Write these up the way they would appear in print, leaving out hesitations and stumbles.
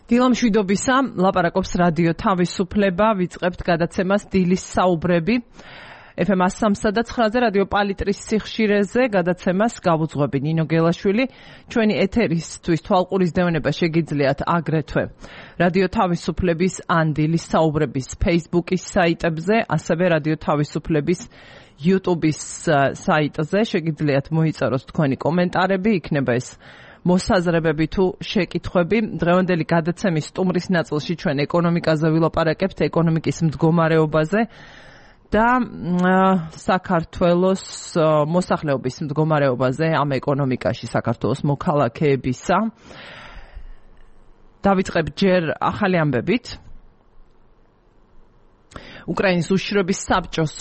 დილამშვიდობისა, ლაპარაკობს რადიო თავისუფლება, ვიწყებთ გადაცემას დილის საუბრები. FM 103 და 9-ზე რადიო პალიტრის სიხშირეზე გადაცემას გავუძღვები ნინო გელაშვილი. ჩვენი ეთერისთვის თვალყურის დევნება შეგიძლიათ აგრეთვე რადიო თავისუფლების ან დილის საუბრების Facebook-ის საიტებზე, ასევე რადიო თავისუფლების YouTube-ის საიტზე შეგიძლიათ მოიწეროთ თქვენი კომენტარები, იქნება ეს მოსაზრებები თუ შეკითხვები. დღევანდელი გადაცემის სტუმრის ნაწილში ჩვენ ეკონომიკაზე ვილაპარაკებთ, ეკონომიკის მდგომარეობაზე და საქართველოს მოსახლეობის მდგომარეობაზე ამ ეკონომიკაში საქართველოს მოქალაქეებისა. დავიწყებ ჯერ ახალი ამბებით. უკრაინის უშიშროების საბჭოს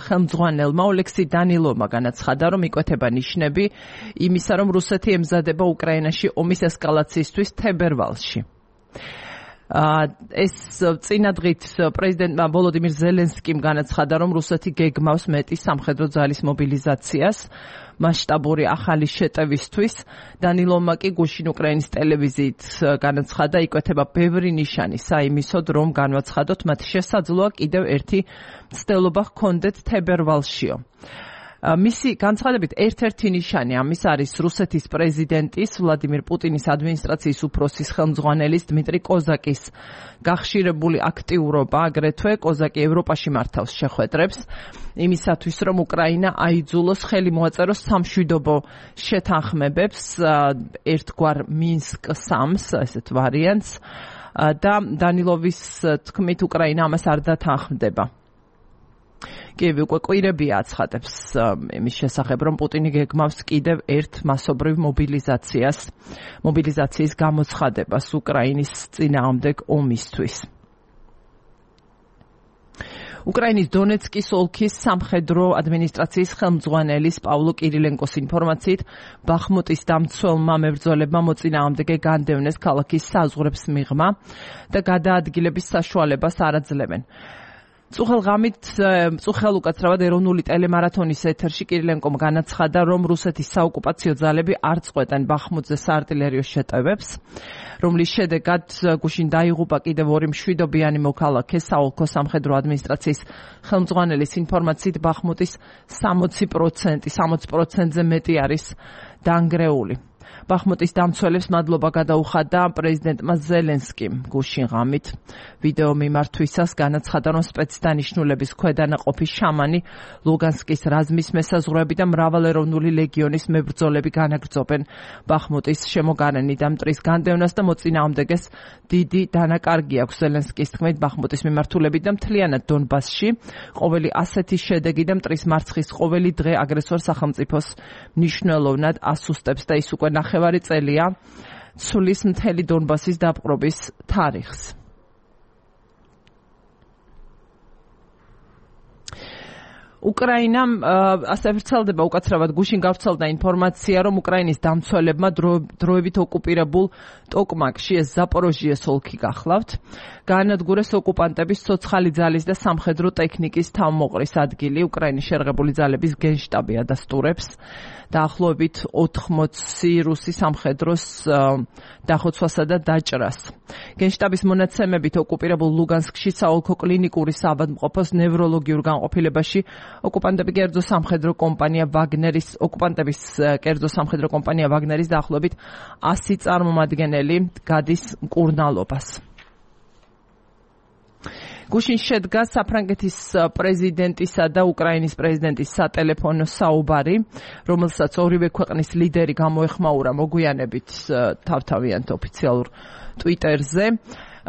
ხელმძღვანელმა ოლექსი დანილოვმა განაცხადა, რომ იკვეთება ნიშნები იმისა, რომ რუსეთი ემზადება უკრაინაში ომის ესკალაციისთვის თებერვალში. ეს წინადღით პრეზიდენტმა ვოლოდიმირ ზელენსკიმ განაცხადა, რომ რუსეთი გეგმავს მეტი სამხედრო ძალის მობილიზაციას მასშტაბური ახალი შეტევისთვის. დანილოვმა კი გუშინ უკრაინის ტელევიზიით განაცხადა, იკვეთება ბევრი ნიშანი საიმისოდ, რომ განვაცხადოთ, მათ შესაძლოა კიდევ ერთი მცდელობა ჰქონდეთ თებერვალშიო. მისი განცხადებით ერთ-ერთი ნიშანი ამის არის რუსეთის პრეზიდენტის ვლადიმირ პუტინის ადმინისტრაციის უფროსის ხელმძღვანელის დმიტრი კოზაკის გახშირებული აქტიურობა, აგრეთვე კოზაკი ევროპაში მართავს შეხვედრებს იმისათვის, რომ უკრაინა აიძულოს ხელი მოაწეროს სამშვიდობო შეთანხმებებს, ერთგვარ მინსკ 3-ს, ესეთ ვარიანტს და დანილოვის თქმით უკრაინა ამას არ დათანხმდება. კიევი უკვე კვირებია აცხადებს იმის შესახებ, რომ პუტინი გეგმავს კიდევ ერთ მასობრივ მობილიზაციის გამოცხადებას უკრაინის წინააღმდეგ ომისთვის. უკრაინის დონეცკის ოლქის სამხედრო ადმინისტრაციის ხელმძღვანელის პავლო კირილენკოს ინფორმაციით, ბახმუტის დამცველმა მებრძოლებმა მოწინააღმდეგე განდევნეს ქალაქის საზღვრებს მიღმა და გადაადგილების საშუალებას არ აძლევენ. წუხელ უკაცრავად ეროვნული ტელემარათონის ეთერში კირილენკომ განაცხადა, რომ რუსეთის საოკუპაციო ძალები არ წყვეტენ ბახმუტზე საარტილერიო შეტევებს, რომლის შედეგად გუშინ დაიღუპა კიდევ ორი მშვიდობიანი მოქალაქე. საოლქო სამხედრო ადმინისტრაციის ხელმძღვანელის ინფორმაციით, ბახმუტის 60%-ზე მეტი არის დანგრეული. ბახმუტის დამცველებს მადლობა გადაუხადა პრეზიდენტმა ზელენსკიმ გუშინ ღამით ვიდეო მიმართვისას. განაცხადა, რომ სპეცდანიშნულების ქვედანაყოფი შამანი, ლუგანსკის რაზმის მესაზღვრეები და მრავალეროვნული ლეგიონის მებრძოლები განაგრძობენ ბახმუტის შემოგარენით და მტრის განდევნას და მოწინააღმდეგეს დიდი დანაკარგი აქვს. ზელენსკის თქმით, ბახმუტის მიმართულებით და მთლიანად დონბასში ყოველი ასეთი შედეგი და მტრის მარცხის ყოველი დღე აგრესორ სახელმწიფოს მნიშვნელოვნად ასუსტებს და ის უკვე ნახევარი წელია ცვლის მთელი დონბასის დაპყრობის თარიღს. უკრაინამ ასე ვრცელდება უკაცრავად გუშინ გავრცელდა ინფორმაცია, რომ უკრაინის დამცველებმა დროებით ოკუპირებულ ტოკმაკში, ეს ზაპოროჟიეს ოლქი გახლავთ, გაანადგურეს ოკუპანტების ცოცხალი ძალის და სამხედრო ტექნიკის თავმოყრის ადგილი. უკრაინის შერღებული ძალების გენშტაბი ადასტურებს დაახლოებით 80 რუსი სამხედროს დახოცვასა და დაჭრას. გენშტაბის მონაცემებით ოკუპირებულ ლუგანსკში საოლქო კლინიკური საავადმყოფოს ნევროლოგიურ განყოფილებაში ოკუპანტების კერძო სამხედრო კომპანია ვაგნერის დაახლოებით 100 წარმომადგენელი გადის მკურნალობას. გუშინ შედგა საფრანგეთის პრეზიდენტისა და უკრაინის პრეზიდენტის სატელეფონო საუბარი, რომელსაც ორივე ქვეყნის ლიდერი გამოეხმაურა მოგვიანებით თავთავიანთ ოფიციალურ ტვიტერზე.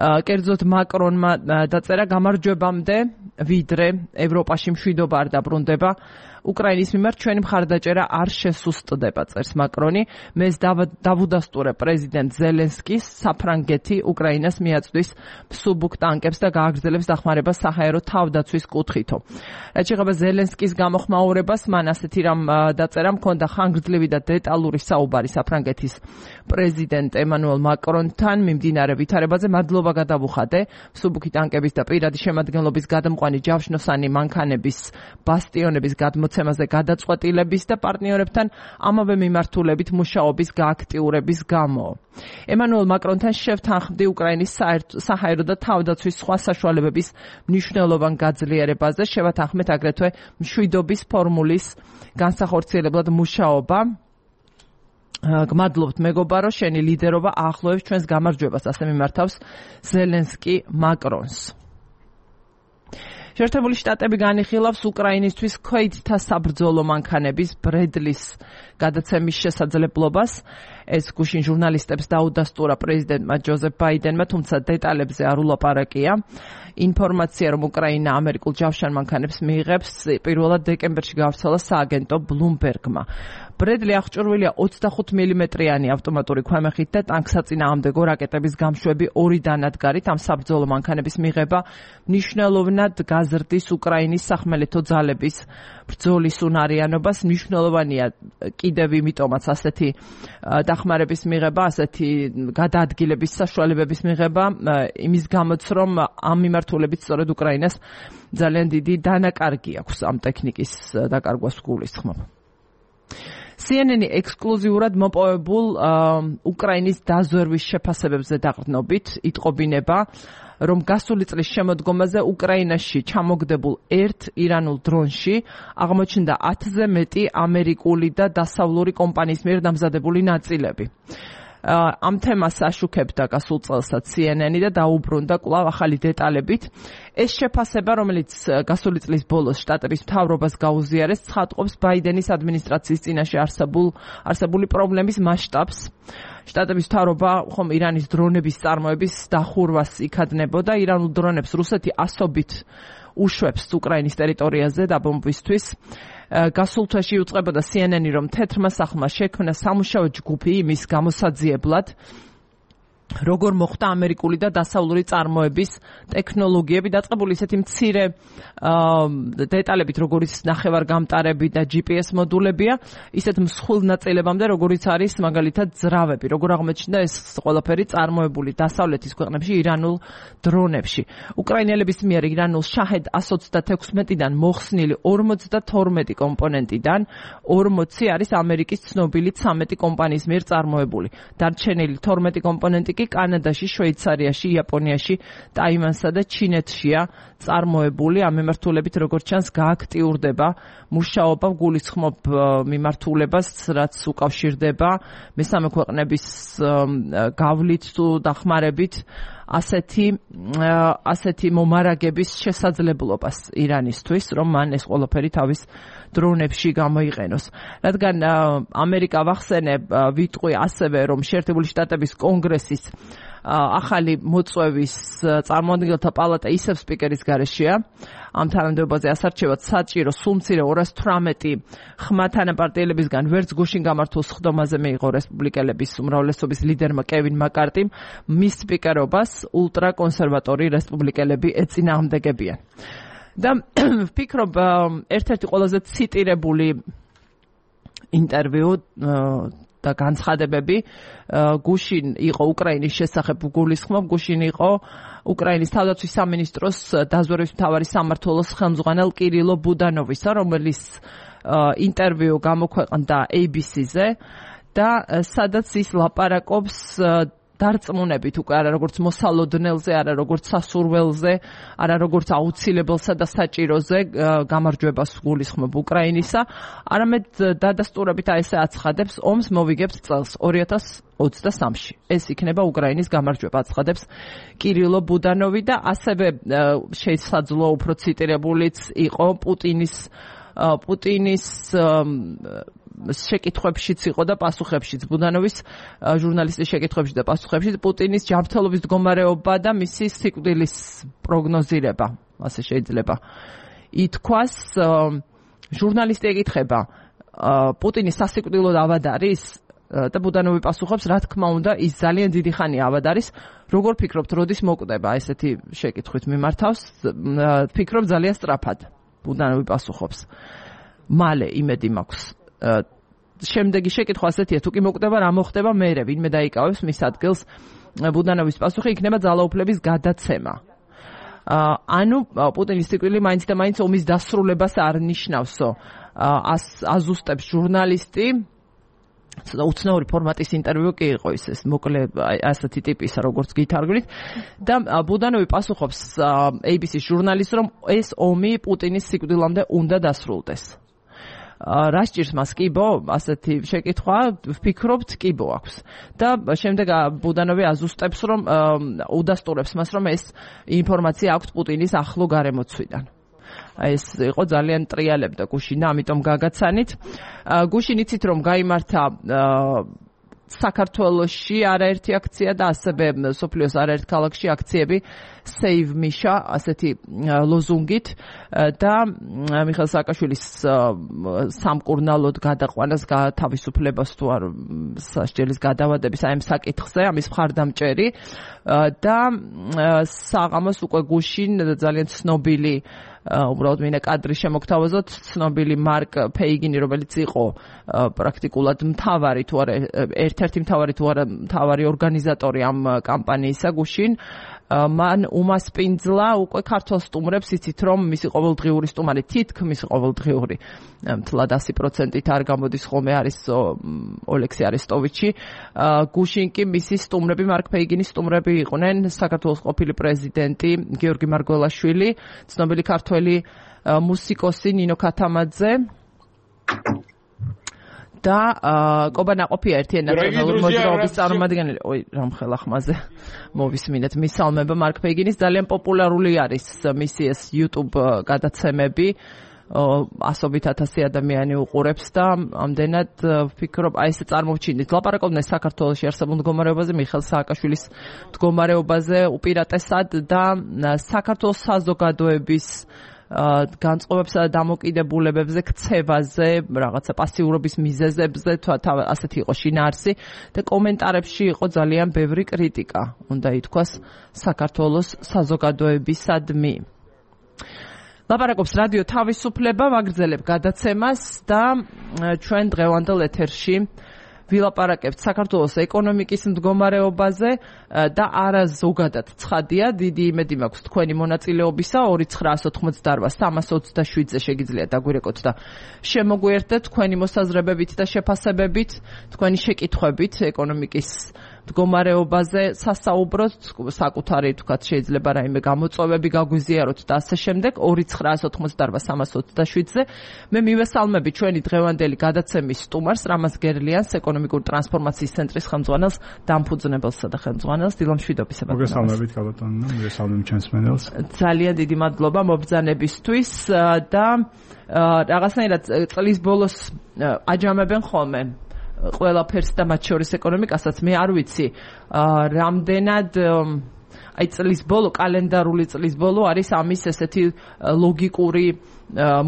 კერძოდ მაკრონმა დაწერა, გამარჯვებამდე ვიდრე ევროპაში მშვიდობა არ დაბრუნდება, უკრაინის მიმართ ჩვენი მხარდაჭერა არ შესუსტდება, წერს მაკრონი. მეს დავუდასტურე პრეზიდენტ ზელენსკის, საფრანგეთი უკრაინას მიაწვდის მსუბუქ ტანკებს და გააგრძელებს დახმარებას საჰაერო თავდაცვის კუთხითო. რაც შეეხება ზელენსკის გამოხმაურებას, მან ასეთი რამ დაწერა, მქონდა ხანგრძლივი და დეტალური საუბარი საფრანგეთის პრეზიდენტ ემანუელ მაკრონთან მიმდინარე ვითარებაზე. მადლობა გადავუხადე მსუბუქი ტანკების და პირადი შემადგენლობის გადამყვანი ჯავშნოსანი მანქანების ბასტიონების გადმოცემის მოცემაზე გადაწყვეტილების და პარტნიორებთან ამავე მიმართულებით მუშაობის გააქტიურების გამო. ემანუელ მაკრონთან შევთანხმდი უკრაინის საჰაერო და თავდაცვის სხვა საშუალებების მნიშვნელოვან გაძლიერებაზე, შევათანხმეთ აგრეთვე მშვიდობის ფორმულის განსახორციელებლად მუშაობა. გმადლობთ მეგობარო, შენი ლიდერობა აახლოებს ჩვენს გამარჯვებას, ასე მიმართავს ზელენსკი მაკრონს. შეერთებული შტატები განიხილავს უკრაინისთვის ქვეითთა საბრძოლო მანქანების ბრედლის გადაცემის შესაძლებლობას. ეს გუშინ ჟურნალისტებს დაუდასტურა პრეზიდენტმა ჯოზეფ ბაიდენმა, თუმცა დეტალებზე არ ულაპარაკია. ინფორმაცია, რომ უკრაინა ამერიკულ ჯავშან მანქანებს მიიღებს, პირველად დეკემბერში გავრცელა სააგენტო ბლუმბერგმა. ბრედლი აღჭურვილია 25 მმ-იანი ავტომატური ქვემეხით და ტანკსაწინააღმდეგო რაკეტების გამშვები 2 დანადგარით. ამ საბრძოლო მანქანების მიღება მნიშვნელოვნად გაზრდის უკრაინის სახმელეთო ძალების ბრძოლის უნარიანობას. მნიშვნელოვანია კიდევ იმიტომაც ასეთი დახმარების მიღება, ასეთი გადაადგილების საშუალებების მიღება, იმის გამოც რომ ამ მიმართულებით სწორედ უკრაინას ძალიან დიდი დანაკარგი აქვს ამ ტექნიკის დაკარგვას გულისხმობ. CNN ექსკლუზიურად მოპოვებულ უკრაინის დაზვერვის შეფასებებზე დაყრდნობით იტყობინება, რომ გასული წლის შემოდგომაზე უკრაინაში ჩამოგდებულ ერთ ირანულ დრონში აღმოჩნდა 10-ზე მეტი ამერიკული და დასავლური კომპანიის მიერ დამზადებული ნაწილები. ამ თემას აშუქებდა გასულ წელსაც CNN და დაუბრუნდა კვლავ ახალი დეტალებით. ეს შეფასება, რომელიც გასული წლის ბოლოს შტატების მთავრობას გაუზიარეს, ცხადყოფს ბაიდენის ადმინისტრაციის წინაშე არსებული პრობლემის მასშტაბს. შტატების მთავრობა ხომ ირანის დრონების წარმოების დახურვას იქადნებოდა. ირანულ დრონებს რუსეთი ასობით უშვებს უკრაინის ტერიტორიაზე დაბომბვისთვის. გასულ თვეში იუწყებოდა CNN, რომ თეთრმა სახლმა შექმნა სამუშაო ჯგუფი იმის გამოსაძიებლად, როგორ მოხდა ამერიკული და დასავლური წარმოების ტექნოლოგიები, დაწყებული ისეთი მცირე დეტალებით, როგორიც ნახევარგამტარები და GPS მოდულებია, ისეთ მსხვილ ნაწილებამდე, როგორიც არის მაგალითად ძრავები, როგორ აღმოჩნდა ეს ყველაფერი წარმოებული დასავლეთის ქვეყნებში ირანულ დრონებში. უკრაინელების მიერ ირანულ შაჰედ 126-დან მოხსნილი 52 კომპონენტიდან 40 არის ამერიკის ცნობილი 13 კომპანიის მიერ წარმოებული. დარჩენილი 12 კომპონენტი კანადაში, შვეიცარიაში, იაპონიაში, ტაივანსა და ჩინეთშია წარმოებული. ამ მიმართულებით როგორც ჩანს გააქტიურდება მუშაობა, გულისხმობ მიმართულებას, რაც უკავშირდება მესამე ქვეყნების გავლით თუ დახმარებით ასეთი მომარაგების შესაძლებლობას ირანისთვის, რომ მან ეს ყველაფერი თავის დრონებში გამოიყენოს. რადგან ამერიკა ვახსენებ, ვიტყვი ასევე, რომ შეერთებული შტატების კონგრესის ახალი მოწვევის წარმომადგენელთა პალატა ისევ სპიკერის გარეშეა. ამ თანამდებობაზე ასარჩევად საჭირო სულმცირე 218 ხმა თანაპარტიელებისგან ვერც გუშინ გამართულ სხდომაზე მიიღო რესპუბლიკელების უმრავლესობის ლიდერმა კევინ მაკარტიმ. მის სპიკერობას ულტრაკონსერვატორი რესპუბლიკელები ეწინააღმდეგებიან. და ვფიქრობ, ერთ-ერთი ყველაზე ციტირებული ინტერვიუ და განცხადებები გუშინ იყო უკრაინის შესახებ გულისხმობ. გუშინ იყო უკრაინის თავდაცვის სამინისტროს დაზვერვის მთავარი სამმართველოს ხელმძღვანელ კირილო ბუდანოვისა, რომელიც ინტერვიუ გამოქვეყნდა ABC-ზე და სადაც ის ლაპარაკობს დარწმუნებით უკვე არა როგორც მოსალოდნელზე, არა როგორც სასურველზე, არა როგორც აუცილებელსა და საჭიროზე გამარჯვებას გულისხმობ უკრაინისა, არამედ დადასტურებით ესე აცხადებს, ომს მოვიგებთ წელს 2023-ში. ეს იქნება უკრაინის გამარჯვება, აცხადებს კირილო ბუდანოვი და ასევე შესაძლოა უფრო ციტირებულიც იყო პუტინის შეკითხვებშიც იყო და პასუხებშიც, ბუდანოვის ჟურნალისტის შეკითხვებში და პასუხებში პუტინის ჯანმრთელობის მდგომარეობა და მისი სიკვდილის პროგნოზირება, ასე შეიძლება ითქვას. ჟურნალისტი ეკითხება, პუტინის სასიკვდილო ავად არის? და ბუდანოვი პასუხობს, რა თქმა უნდა, ის ძალიან დიდი ხანია ავად არის. როგორ ფიქრობთ, როდის მოკვდება? ესეთი შეკითხვით მიმართავს. ფიქრობ ძალიან სწრაფად. ბუდანოვი პასუხობს. მალე იმედი მაქვს. შემდეგი შეკითხვა ასეთია, თუ კი მოკვდება, რა მოხდება მერე, ვინმე დაიკავებს მის ადგილს? ბუდანოვის პასუხი იქნება ძალაუფლების გადაცემა. ანუ პუტინის სიკვდილი მაინც და მაინც ომის დასრულებას არ ნიშნავსო. აზუსტებს ჟურნალისტი უცნაური ფორმატის ინტერვიუ კი იყო ეს მოკლე ასეთი ტიპისა როგორც გითარგმნით და ბუდანოვი პასუხობს ABC-ის ჟურნალისტს რომ ეს ომი პუტინის სიკვდილამდე უნდა დასრულდეს. რა სჭირს მას კიბო? ასეთი შეკითხვა ვფიქრობთ კიბო აქვს. და შემდეგ ბუდანოვი აზუსტებს რომ უდასტურებს მას რომ ეს ინფორმაცია აქვს პუტინის ახლო გარემოცვიდან. ეს იყო ძალიან ტრიალებდა გუშინ და ამიტომ გაგაცანით. გუშინ იცით რომ გაიმართა საქართველოში არაერთი აქცია და ასევე სოფლიოს არაერთ ქალაქში აქციები Save Misha ასეთი ლოზუნგით და მიხეილ სააკაშვილის სამკურნალოდ გადაყვანას თავისუფლებას თუ არ სასჯელის გადავადების აი ამ საკითხზე ამის მხარდამჭერი და საღამოს უკვე გუშინ ძალიან ცნობილი უბრალოდ მინდა კადრი შემოგთავაზოთ ცნობილი მარკ ფეიგინი რომელიც იყო პრაქტიკულად მთავარი თუ არა ერთ-ერთი მთავარი თუ არა მთავარი ორგანიზატორი ამ კამპანიისა გუშინ მან უმასპინძლა უკვე ქართულ სტუმრებს იცით რომ მისი ყოველდღიური სტუმარი თითქმის ყოველდღიური მთლად 100%-ით არ გამოდის ხოლმე არის ოლექსი არესტოვიჩი გუშინ კი მისი სტუმრები მარკ ფეიგინის სტუმრები იყვნენ საქართველოს ყოფილი პრეზიდენტი გიორგი მარგველაშვილი ცნობილი ქართველი მუსიკოსი ნინო ქათამაძე და კობა ნაყოფია ერთი ნაციონალური მოძრაობის წარმომადგენელი. რამხელა ხმაზე მოვისმინეთ მისალმება მარკ ფეიგინის ძალიან პოპულარული არის მისი ეს YouTube გადაცემები 100,000 ადამიანი უყურებს და ამდენად ვფიქრობ აი ეს წარმოვჩინეთ. ლაპარაკობდნენ საქართველოში არსებულ მდგომარეობაზე, მიხეილ სააკაშვილის მდგომარეობაზე უპირატესად და საქართველოს საზოგადოების განწყობებსა და დამოკიდებულებებზე, ქცევაზე, რაღაცა პასიურობის მიზეზებზე, ასეთი იყო შინაარსი და კომენტარებში იყო ძალიან ბევრი კრიტიკა, უნდა ითქვას საქართველოს საზოგადოებისადმი. ლაპარაკობს რადიო თავისუფლება, ვაგრძელებ გადაცემას და ჩვენ დღევანდელ ეთერში ვილაპარაკებთ საქართველოს ეკონომიკის მდგომარეობაზე და არა ზოგადად ცხადია, დიდი იმედი მაქვს თქვენი მონაწილეობისა 2988-327-ზე შეგიძლიათ დაგვირეკოთ და შემოგვიერთდეთ თქვენი მოსაზრებებით და შეფასებებით, თქვენი შეკითხვებით ეკონომიკის მდგომარეობაზე სასაუბროთ, საკუთარი თქვათ შეიძლება რაიმე გამოწვევები გაგვიზიაროთ და ასე შემდეგ 2988-327-ზე მე მივესალმები ჩვენი დღევანდელი გადაცემის სტუმარს რამაზ გერლიანს ეკონომიკური ტრანსფორმაციის ცენტრის ხელმძღვანელს დამფუძნებელსა და ხელმძღვანელს დილა მშვიდობისა მოგესალმებით კალათონო მოგესალმებით ჩვენს მენელს ძალიან დიდი მადლობა მობრძანებისთვის და რაღაცნაირად წლის ბოლოს აჯამებენ ხოლმე ყველაფერს და მათ შორის ეკონომიკასაც მე არ ვიცი რამდენად აი წლის ბოლო კალენდარული წლის ბოლო არის ამის ესეთი ლოგიკური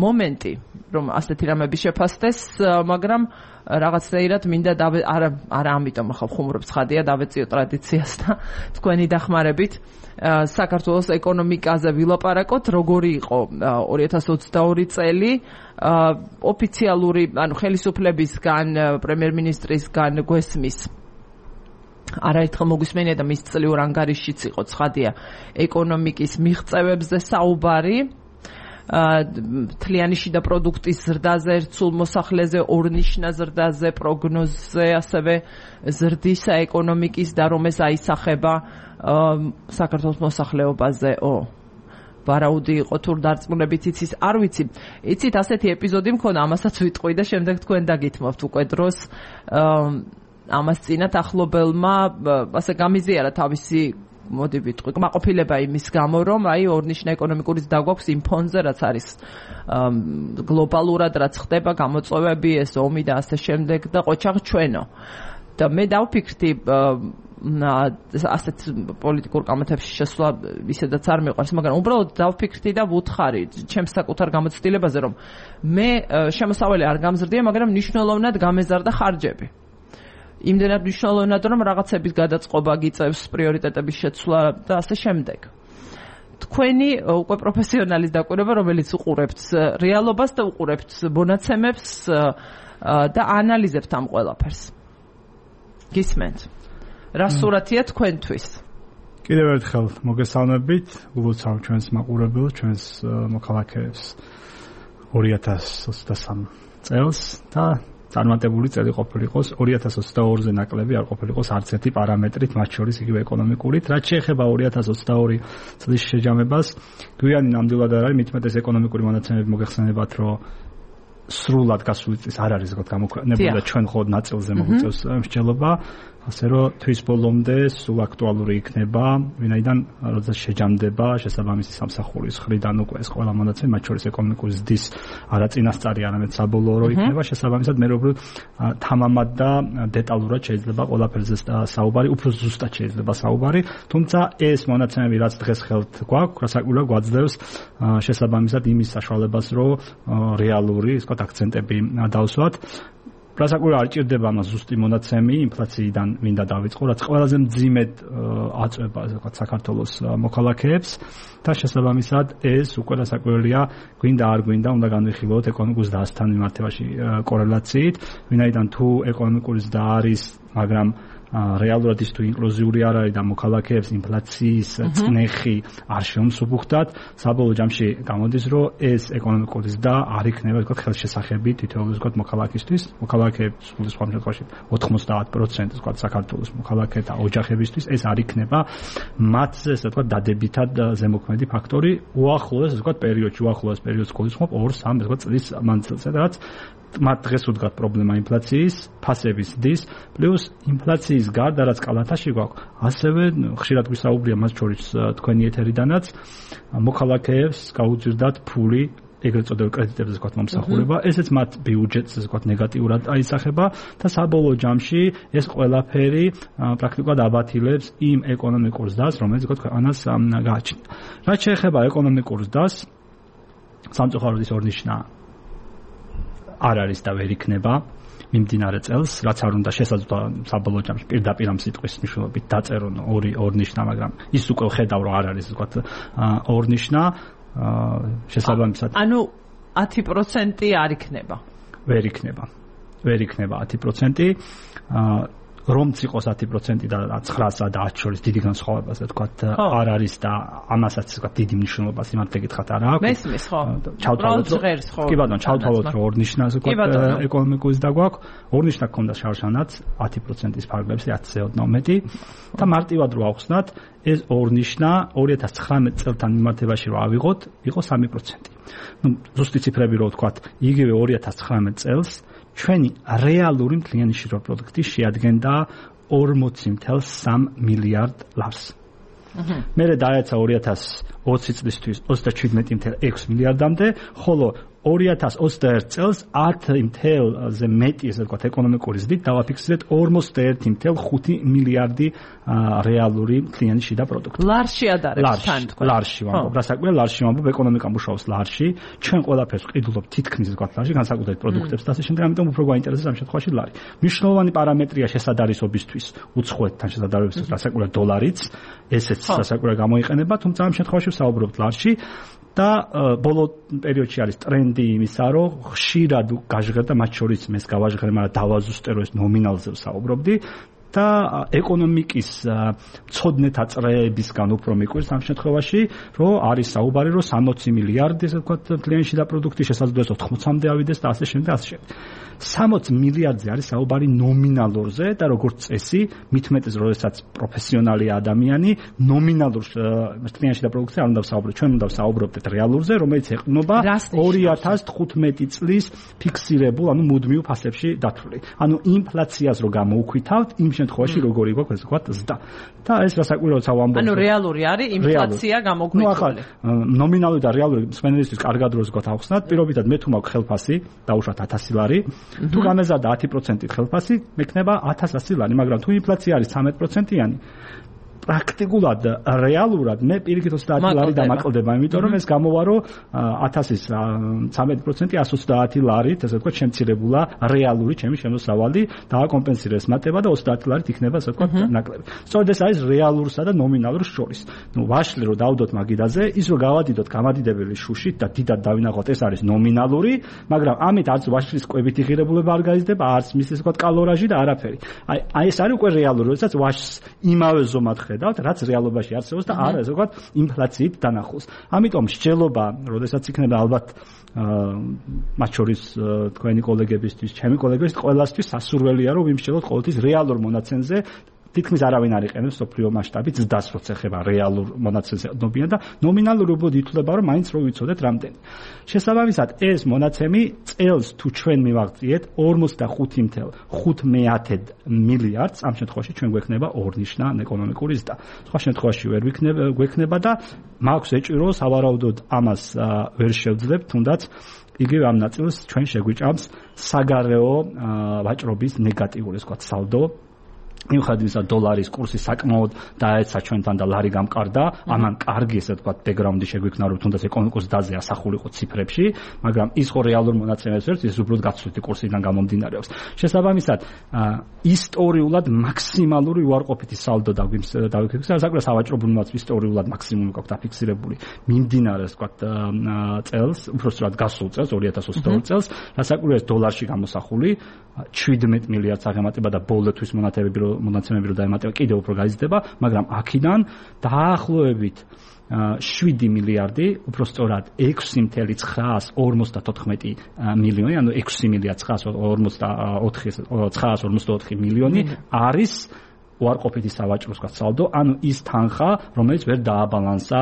მომენტი რომ ასეთი რამები შეფასდეს მაგრამ რაღაცნაირად მინდა არა ამიტომ ახლა ხუმრობ ცხადია დავეციო ტრადიციას და თქვენი დახმარებით საქართველოს ეკონომიკაზე ვილაპარაკოთ როგორი იყო 2022 წელი ოფიციალური ანუ ხელისუფლებისგან პრემიერ-მინისტრისგან გვესმის არაერთხელ მოგვისმენია და მის წლიურ ანგარიშშიც იყო ცხადია ეკონომიკის მიღწევებზე საუბარი თლიანი შიდა პროდუქტის ზრდაზე, ერთსულ მოსახლეზე, ორნიშნა ზრდაზე, პროგნოზზე, ასევე ზრდისა ეკონომიკის და რომ ეს აისახება საქართველოს მოსახლეობაზეო. ვარაუდი იყო თუ დარწმუნებით იცის, არ ვიცი. იცით, ასეთი ეპიზოდი მქონდა, ამასაც ვიტყვი და შემდეგ თქვენ დაგითმობთ უკვე დროს. ამას წინათ ახლობელმა ასე გამიზიარა თავისი მოდი ვიტყვი, კმაყოფილება იმის გამო, რომ აი ორნიშნა ეკონომიკური ზრდა გვაქვს იმ ფონზე, რაც არის გლობალურად, რაც ხდება, გამოწვევები, ეს ომი და ასე შემდეგ და ყოჩაღ ჩვენო. და მე დავფიქრდი ასეთ პოლიტიკურ კამათებში შესვლა ისედაც არ მიყვარს, მაგრამ უბრალოდ დავფიქრდი და ვუთხარი ჩემს საკუთარ გამოცდილებაზე, რომ მე შემოსავალი არ გამზრდია, მაგრამ მნიშვნელოვნად გამეზარდა ხარჯები. იმდენად მნიშვნელოვნად რომ რაღაცების გადაწყობა გიწევს პრიორიტეტების შეცვლა და ასე შემდეგ. თქვენი უკვე პროფესიონალის დაკვირვება რომელიც უყურებთ რეალობას და უყურებთ მონაცემებს და ანალიზებთ ამ ყველაფერს. გისმენთ? რა სურათია თქვენთვის? კიდევ ერთხელ მოგესალმებით, ულოცავ ჩვენს მაყურებელს, ჩვენს მოქალაქეებს 2023 წელს და წარმატებული წელი ყოფილიყოს 2022-ზე ნაკლები არ ყოფილიყოს არც ერთი პარამეტრით, მათ შორის იგივე ეკონომიკურით. რაც შეეხება 2022 წლის შეჯამებას, გვიანი ნამდვილად არ არის, მithumetes ეკონომიკური მონაცემები მოგეხსენებათ, რომ სრულად გასული წლის არ არის ზოგადად გამოქვეყნებული და ჩვენ ხოდ ნაწილზე მოგვიწევს მსჯელობა, ასე რომ თვის ბოლომდე სულ აქტუალური იქნება, ვინაიდან როცა შეჯამდება შესაბამისი სამსახურის მხრიდან უკვე ეს ყველა მონაცემები, მათ შორის ეკონომიკური ზრდის არა წინასწარი, არამედ საბოლოო იქნება, შესაბამისად მე როგორ თამამად და დეტალურად შეიძლება ყველაფერზე საუბარი, უფრო ზუსტად შეიძლება საუბარი, თუმცა ეს მონაცემები რაც დღეს ხელთ გვაქვს, რასაკვირველია გვაძლევს შესაბამისად იმის საშუალებას, რომ რეალური, ისე ვთქვათ, აქცენტები დავსვათ. რასაკვირველია არ ჭირდება მას ზუსტი მონაცემი ინფლაციიდან მინდა დავიწყო, რაც ყველაზე მძიმედ აწვება საქართველოს მოქალაქეებს და შესაბამისად ეს უკვე რასაკვირველია გვინდა არ გვინდა უნდა განვიხილოთ ეკონომიკის ზრდასთან მიმართებაში კორელაციით, ვინაიდან თუ ეკონომიკური ზრდა არის, მაგრამ რეალურად ის თუ ინკლუზიური არ არის და მოქალაქეებს ინფლაციის წნეხი არ შეუმსუბუხდათ, საბოლოო ჯამში გამოდის, რომ ეს ეკონომიკური ზრდა არ იქნება თქო ხელშესახები თითოეულ თქო მოქალაქისთვის, მოქალაქეებს სულ სხვა შემთხვევაში 90% თქო საქართველოს მოქალაქეთა ოჯახებისთვის ეს არ იქნება მათზე ესე თქო დადებითად ზემოქმედი ფაქტორი უახლოეს თქო პერიოდში გულისხმობ 2-3 თქო წლის მანძილზე, რაც მათ დღეს უდგათ პრობლემა ინფლაციის, ფასების ზრდის, პლუს ინფლაციის გარდა რაც კალათაში გვაქვს, ასევე ხშირად გვისაუბრია მას შორის თქვენი ეთერიდანაც, მოქალაქეებს გაუძირდათ ფული ეგრეთ წოდებულ კრედიტებზე ვთქვათ მომსახურება, ესეც მათ ბიუჯეტს ვთქვათ ნეგატიურად აისახება და საბოლოო ჯამში ეს ყველაფერი პრაქტიკულად აბათილებს იმ ეკონომიკურ ზრდას, რომელიც ვთქვათ ქვეყანას გააჩნია. რაც შეეხება ეკონომიკურ ზრდას, სამწუხაროდ ის ორნიშნა არ არის და ვერ იქნება მიმდინარე წელს, რაც არ უნდა შესაძლოა საბოლოო ჯამში პირდაპირ ამ სიტყვის მნიშვნელობით დაწერონ ორნიშნა, მაგრამ ის უკვე ხედავ რომ არ არის ვთქვათ ორნიშნა შესაბამისად. ანუ 10% არ იქნება. ვერ იქნება 10%. რომც იყოს 10% და 9-სა და 10 შორის დიდი განსხვავება, ასე ვთქვათ, არ არის და ამასაც ვთქვათ დიდი მნიშვნელობა სიმართლე გითხრათ არ აქვს. მესმის ხო? კი ბატონო, ჩავთვალოთ რომ ორნიშნა ასე ვთქვათ ეკონომიკის და გვაქვს, ორნიშნა გქონდა შარშანაც 10%-ის ფარგლებში 10-ზე ოდნავ მეტი და მარტივად რო ავხსნათ, ეს ორნიშნა 2019 წელთან მიმართებაში რო ავიღოთ, იყო 3%. ნუ ზუსტი ციფრები რო ვთქვათ, იგივე 2019 წელს ჩვენი რეალური მთლიანი შინაგანი პროდუქტი შეადგენდა 40.3 მილიარდ ლარს. მერე დაეცა 2020 წლისთვის 37.6 მილიარდამდე, ხოლო 2021 წელს 10.ზე მეტი ესე ვთქვათ ეკონომიკური ზრდით დავაფიქსირეთ 41.5 მილიარდი რეალური მთლიანი შიდა პროდუქტი. ლარში ადარებს თან თქვა. ლარში ვამბობ, რასაკვირველია ლარში ვამბობ, ეკონომიკა მუშაობს ლარში. ჩვენ ყველაფერს ვყიდულობ თითქმის ვთქვათ ლარში, განსაკუთრებით პროდუქტებს და ასე შემდეგ, ამიტომ უფრო გვაინტერესებს ამ შემთხვევაში ლარი. მნიშვნელოვანი პარამეტრია შესადარისობისთვის, უცხოეთთან შესადარებისთვის, რასაკვირველია დოლარიც, ესეც რასაკვირველია გამოიყენება, თუმცა ამ შემთხვევაში ვსაუბრობთ ლარში. და ბოლო პერიოდში არის ტრენდი იმისა, რომ ხშირად გაჟღერდა, მათ შორის მეც გავაჟღერე, მაგრამ დავაზუსტე, რომ ეს ნომინალზე ვსაუბრობდი და ეკონომიკის მცოდნეთა წრეებისგან უფრო მიკვირს ამ შემთხვევაში, რომ არის საუბარი, რომ 60 მილიარდი, ასე ვთქვათ, მთლიანი შიდა პროდუქტი შესაძლოა 80-მდე ავიდეს და ასე შემდეგ. 60 მილიარდზე არის საუბარი ნომინალურზე და როგორც წესი, მithumetes როდესაც პროფესიონალი ადამიანი ნომინალურ მთლიანი შიდა პროდუქტზე არ უნდა ვსაუბროთ, ჩვენ უნდა ვსაუბრობდეთ რეალურზე, რომელიც ეყრდნობა 2015 წლის ფიქსირებულ, ანუ მუდმივ ფასებში დათვლილი. ანუ ინფლაციას რო გამოუქვითავთ, იმ შემთხვევაში როგორი გვაქვს ესე ვთქვათ ზრდა. და ეს რასაკვირველია ვამბობ. ანუ რეალური არის ინფლაცია გამოგვიქვილი. ნუ ახლა ნომინალური და რეალური მსმენელისთვის კარგად როს ვთქვათ ავხსნათ, პირობითად მე თუ მაქვს ხელფასი, დაუშვათ 1000 ლარი, თუ გამეზარდა 10% ხელფასი, მექნება 1100 ლარი, მაგრამ თუ ინფლაცია არის 13%-იანი, პრაქტიკულად რეალურად მე პირიქით 30 ლარი დამაკლდება, იმიტომ რომ ეს გამოვა რომ 1000-ის 13% 130 ლარით, ასე ვთქვათ, შემცირებულა რეალური ჩემი შემოსავალი, დააკომპენსირეს მატება და 30 ლარით იქნება, ასე ვთქვათ, ნაკლები. სწორედ ეს არის რეალურსა და ნომინალურ შორის. ნუ ვაშლი რომ დავდოთ მაგიდაზე, ის რომ გავადიდოთ გამადიდებელი შუშით და დიდად დავინახოთ, ეს არის ნომინალური, მაგრამ ამით არც ვაშლის კვებითი ღირებულება არ გაიზრდება, არც მის ასე ვთქვათ კალორაჟი და არაფერი. აი ეს არის უკვე რეალური, როდესაც ვაშს იმავე ზომად ხედავთ, რაც რეალობაში არსებობს და არა, ასე ვთქვათ, ინფლაციით დანახულს. ამიტომ მსჯელობა, როდესაც იქნება ალბათ მათ შორის თქვენი კოლეგებისთვის, ჩემი კოლეგებისთვის, ყველასთვის სასურველია, რომ ვიმსჯელოთ ყოველთვის რეალურ მონაცემზე. თითქმის არავინ არ იყენებს სოფლიო მასშტაბით ზდას, როცა ეხება რეალურ მონაცემზე ნობიან და ნომინალური უბრალოდ ითვლება, რომ მაინც რო ვიცოდეთ რამდენი. შესაბამისად, ეს მონაცემი წელს თუ ჩვენ მივაღწიეთ 45.5 მილიარდს, ამ შემთხვევაში ჩვენ გვექნება ორნიშნან ეკონომიკური ზრდა. სხვა შემთხვევაში ვერ გვექნება და მაქვს ეჭირო სავარაუდოდ ამას ვერ შევძლებთ, თუნდაც იგივე ამ ნაწილს ჩვენ შეგვიჭამს საგარეო ვაჭრობის ნეგატიური, ასე ვთქვათ, სალდო. მიუხედავად იმისა, დოლარის კურსი საკმაოდ დაეცა ჩვენთან და ლარი გამყარდა, ამან კარგი, ესე ვთქვათ, ბექგრაუნდი შეგვიქნა, რომ თუნდაც ეკონომიკურ ზრდაზე ასახულიყო ციფრებში, მაგრამ ის ხო რეალურ მონაცემებს ვერც, ის უბრალოდ გაცვლითი კურსიდან გამომდინარეობს. შესაბამისად, ისტორიულად მაქსიმალური უარყოფითი სალდო დავიფიქსირეთ, საკუთარ სავაჭრო ბუნებაც ისტორიულად მაქსიმუმი გვაქვს დაფიქსირებული მიმდინარე, ასე ვთქვათ, წელს, უბრალოდ გასულ წელს, 2022 წელს, რასაკვირველია დოლარში გამოსახული 17 მილიარდს აღემატება და ბოლოთვის მონაცემები რო დაემატება, კიდევ უფრო გაიზრდება, მაგრამ აქედან დაახლოებით 7 მილიარდი, უფრო სწორად 6.954 მილიონი, ანუ 6 მილიარდ 944 მილიონი არის უარყოფითი სავაჭრო სალდო, ანუ ის თანხა, რომელიც ვერ დააბალანსა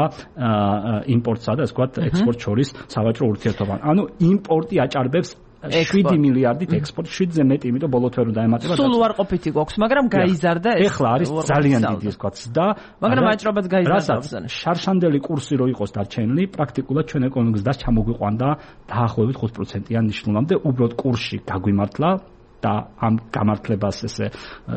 იმპორტსა და ასე ვთქვათ, ექსპორტს შორის სავაჭრო ურთიერთობა. ანუ იმპორტი აჭარბებს 7 მილიარდით ექსპორტი, 7-ზე მეტი, იმიტომ ბოლო თვე რომ დაემატება. სულ უარყოფითი გვაქვს, მაგრამ გაიზარდა ეს. ეხლა არის ძალიან დიდი, ასე ვთქვათ, და მაგრამ აჭრობაც გაიზარდა. შარშანდელი კურსი რო იყოს დარჩენილი, პრაქტიკულად ჩვენ ეკონომიკის დას ჩამოგვიყვანდა დაახლოებით 5%-იან ნიშნულამდე, უბრალოდ კურსი გაგვიმართლა და ამ გამართლებას ესე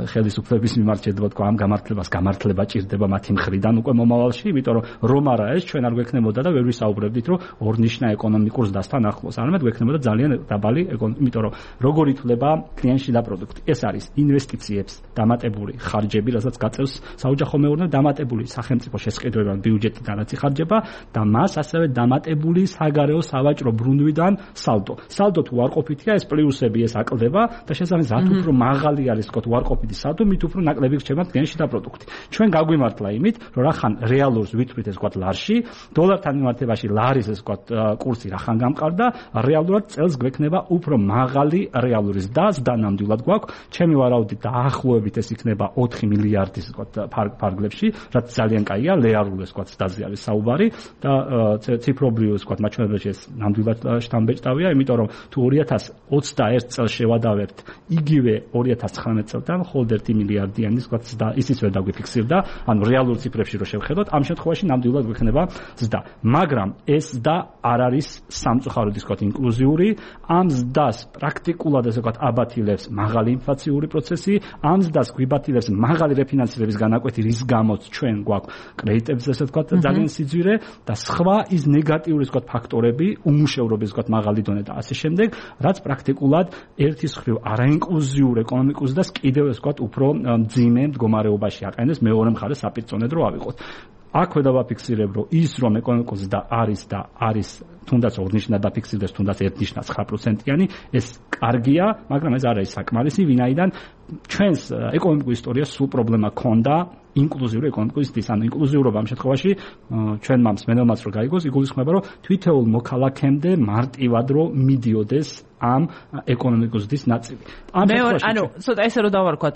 ხელისუფლების მიმართ შეიძლება თქვა, ამ გამართლებას გამართლება ჭირდება მათი მხრიდან უკვე მომავალში, იმიტომ რომ არა ეს ჩვენ არ გვექნებოდა და ვერ ვისაუბრებდით, რომ ორნიშნა ეკონომიკურ ზრდასთან ახლოს, არამედ გვექნებოდა ძალიან დაბალი ეკონომიკა, იმიტომ რომ როგორ ითვლება კლიენტში და პროდუქტი. ეს არის ინვესტიციებს დამატებული ხარჯები, რასაც გაწევს საოჯახო მეურნეობა, დამატებული სახელმწიფო შესყიდვებიდან ბიუჯეტიდან რაც იხარჯება და მას ასევე დამატებული საგარეო სავაჭრო ბრუნვიდან სალდო. სალდო თუ უარყოფითია, ეს პლუსები ეს აკლდება და შესაბამისად უფრო მაღალი არის თქო უარყოფითი სალდო, მით უფრო ნაკლები რჩება კლიენტში და პროდუქტი. ჩვენ გაგვიმართლა იმით, რომ რახან რეალურს ვითვლით ეს თქო ლარში, დოლართან მიმართებაში ლარის ეს თქო კურსი რახან გამყარდა, რეალურად წელს გვექნება უფრო მაღალი რეალური ზრდა ნამდვილად გვაქვს. ჩემი ვარაუდით დაახლოებით ეს იქნება 4 მილიარდის თქო ფარგლებში, რაც ძალიან კაია, რეალურ ეს თქო ზრდაზე არის საუბარი და ციფრობრივ თქო მაჩვენებელში ეს ნამდვილად შთამბეჭდავია, იმიტომ რომ თუ 2021 წელს შევადავებთ იგივე 2019 წელთან მხოლოდ 1 მილიარდიანი თქო ზრდა ისიც ვერ დაგვიფიქსირდა, ანუ რეალურ ციფრებში რო შევხედოთ, ამ შემთხვევაში ნამდვილად გვექნება ზრდა. მაგრამ ეს ზრდა არ არის სამწუხაროდ თქო ინკლუზიური, ამ ზრდას პრაქტიკულად ესე ვთქვათ აბათილებს მაღალი ინფლაციური პროცესი, ამ ზრდას გვიბათილებს მაღალი რეფინანსირების განაკვეთი, რის გამოც ჩვენ გვაქვს კრედიტებზე ესე ვთქვათ ძალიან სიძვირე და სხვა ის ნეგატიური თქო ფაქტორები, უმუშევრობის თქო მაღალი დონე და ასე შემდეგ, რაც პრაქტიკულად ერთის მხრივ არაინკლუზიურ ეკონომიკურ ზრდას კიდევ ესე ვთქვათ უფრო მძიმე მდგომარეობაში აყენებს, მეორე მხარეს საპირწონედ რო ავიღოთ. აქვე დავაფიქსირებ, რომ ის რომ ეკონომიკურ ზრდა არის და არის თუნდაც ორნიშნად დაფიქსირდეს, თუნდაც ერთნიშნად 9%-იანი, ეს კარგია, მაგრამ ეს არ არის საკმარისი, ვინაიდან ჩვენს ეკონომიკურ ისტორიას სულ პრობლემა ქონდა ინკლუზიური ეკონომიკის ზრდის, ანუ ინკლუზიურობა ამ შემთხვევაში ჩვენმა მსმენელმაც რო გაიგოს, იგულისხმება, რომ თითოეულ მოქალაქემდე მარტივად რო მიდიოდეს ამ ეკონომიკურ ზრდის ნაწილი. ანუ ცოტა ესე რომ დავარქვათ,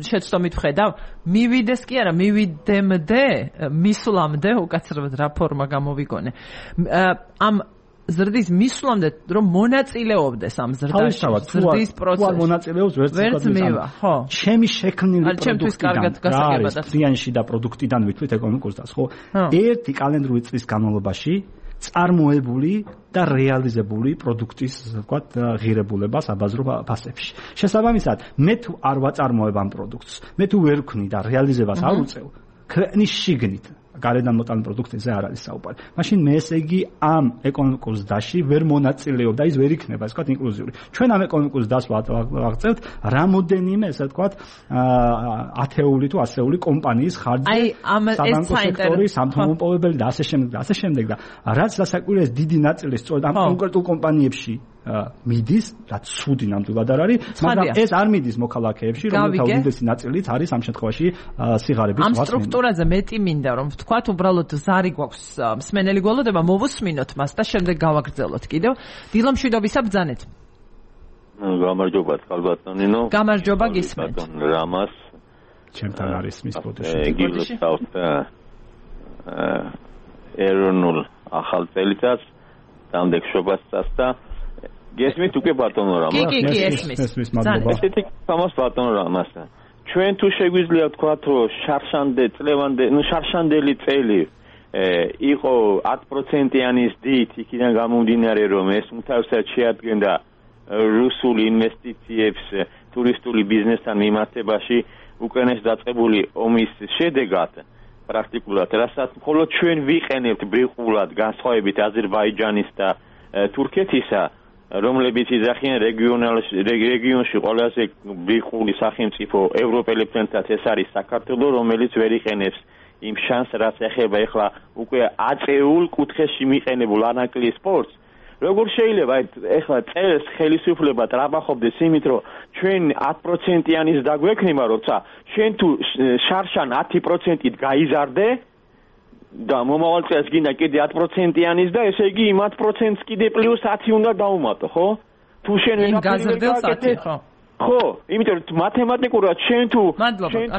შეცდომით ვხედავ, მივიდეს კი არა, მივიდემდე, მისვლამდე უკაცრავად რა ფორმა გამოვიგონე. ამ ზრდის მისვლამდე რომ მონაწილეობდეს ამ ზრდაში, ზრდის პროცესში. მონაწილეობს ვერც მივა, ხო. ჩემი შექმნილი პროდუქტიდან, კლიანში და პროდუქტიდან ვითვლით ეკონომიკურ ზრდას, ხო? ერთი კალენდრული წლის განმავლობაში წარმოებული და რეალიზებული პროდუქტის, ვთქვათ, ღირებულება საბაზრო ფასებში. შესაბამისად, მე თუ არ ვაწარმოებ ამ პროდუქტს, მე თუ ვერ ვქნი და რეალიზებას არ უწევ, ქვეყნის შიგნით გარედან მოტანილ პროდუქტებზე არ არის საუბარი. მაშინ მე ესე იგი ამ ეკონომიკურ ზრდაში ვერ მონაწილეობ და ის ვერ იქნება, ასე ვთქვათ, ინკლუზიური. ჩვენ ამ ეკონომიკურ ზრდას ვაღწევთ რამოდენიმე, ესე ვთქვათ, ათეული თუ ასეული კომპანიის ხარჯზე, საბანკო სექტორი, სამთო-მომპოვებელი და ასე შემდეგ და რაც დასაკვირველია დიდი ნაწილი სწორედ ამ კონკრეტულ კომპანიებში მიდის, რაც ცუდი ნამდვილად არ არის, მაგრამ ეს არ მიდის მოქალაქეებში, რომელთა უდიდესი ნაწილიც არის ამ შემთხვევაში სიღარიბის ამ სტრუქტურაზე მეტი მინდა რომ ვთქვათ, უბრალოდ ზარი გვაქვს მსმენელი გველოდება, მოვუსმინოთ მას და შემდეგ გავაგრძელოთ კიდევ. დილამშვიდობისა ბრძანეთ. გამარჯობა თვალბატონინო. გამარჯობა გისმენთ. რამას ჩემთან არის მის ბოდიში. გილოცავთ ეროვნულ ახალ წელიწადს, დამდეგ შობასწას და გესმით უკვე ბატონო რამას. კი, ესმის. მადლობა. ესეთი თამას ბატონო რამას. ჩვენ თუ შეგვიძლია ვთქვათ, რომ შარშანდელი წელი იყო 10%-იანის დით, იქიდან გამომდინარე, რომ ეს უმთავრესად შეადგენდა რუსულ ინვესტიციებს ტურისტული ბიზნესთან მიმართებაში უკრაინას დაწყებული ომის შედეგად პრაქტიკულად, რასაც მხოლოდ ჩვენ ვიყენებთ ბრიყულად განსხვავებით აზერბაიჯანის და თურქეთისა, რომლებიც იძახიან რეგიონში ყველაზე ბრიყული სახელმწიფო ევროპელებთან ეს არის საქართველო, რომელიც ვერ იყენებს იმ შანსს, რაც ეხება ეხლა უკვე აწეულ კუთხეში მიყენებულ ანაკლის სპორტს. როგორ შეიძლება ეხლა წელს ხელისუფლება ტრაბახობდეს იმით, რომ ჩვენ 10%-იანის დაგვექნება, როცა შენ თუ შარშან 10%-ით გაიზარდე და მომავალ წელს გინდა კიდე 10%-იანის და ესე იგი იმ 10%-ს კიდე პლუს 10 უნდა დავუმატო, ხო? თუ შენ იმ გაზრდილ 10, ხო? ხო, იმიტომ რომ მათემატიკურად შენ თუ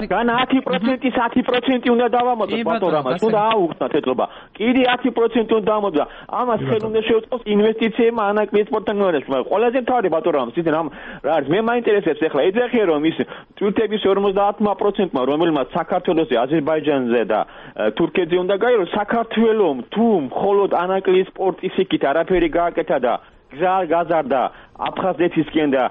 გან 10%-ის 10% უნდა დავამატოთ ბატონამას, უნდა აუხსნათ ეთლობა. კიდე 10% უნდა დავამატოთ. ამას ხელ უნდა შევწყოს ინვესტიციებმა ანაკლის სპორტთან მიმართებაში. მაგრამ ყველაზე მთავარი ბატონამას ისე რა არის, მე მაინტერესებს ახლა ეძახიან რომ ის თურქეთის 50%-მა რომელმაც საქართველოსზე, აზერბაიჯანზე და თურქეთზე უნდა გაიაროს, საქართველოს თუ მხოლოდ ანაკლის სპორტის იქით არაფერი გააკეთა და გაზარდა აფხაზეთისკენ და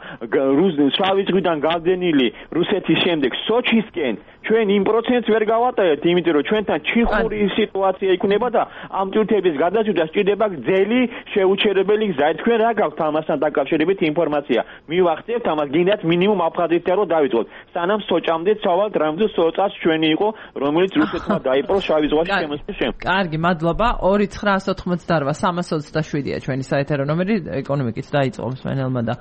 შავი ზღვიდან გალდენილი რუსეთის შემდეგ სოჩისკენ ჩვენ იმ პროცენტს ვერ გავატარებთ, იმიტომ რომ ჩვენთან ჩიხური სიტუაცია იქნება და ამ ტვირთების გადაზიდვა სჭირდება გრძელი შეუჩერებელი გზა. თქვენ რა გაქვთ ამასთან დაკავშირებით ინფორმაცია? მივახცევთ ამას, გინდათ მინიმუმ აფხაზეთთან რომ დავიწყოთ. სანამ სოჭამდე ცავალთ რამზე სოჭას ჩვენი იყო, რომელიც რუსეთმა დაიპყრო შავი ზღვაში შემოსვლის შემდეგ. კარგი, მადლობა. 2988-327-ია ჩვენი საეთერო ნომერი, ეკონომიკით დაიწყო მსმენელმა და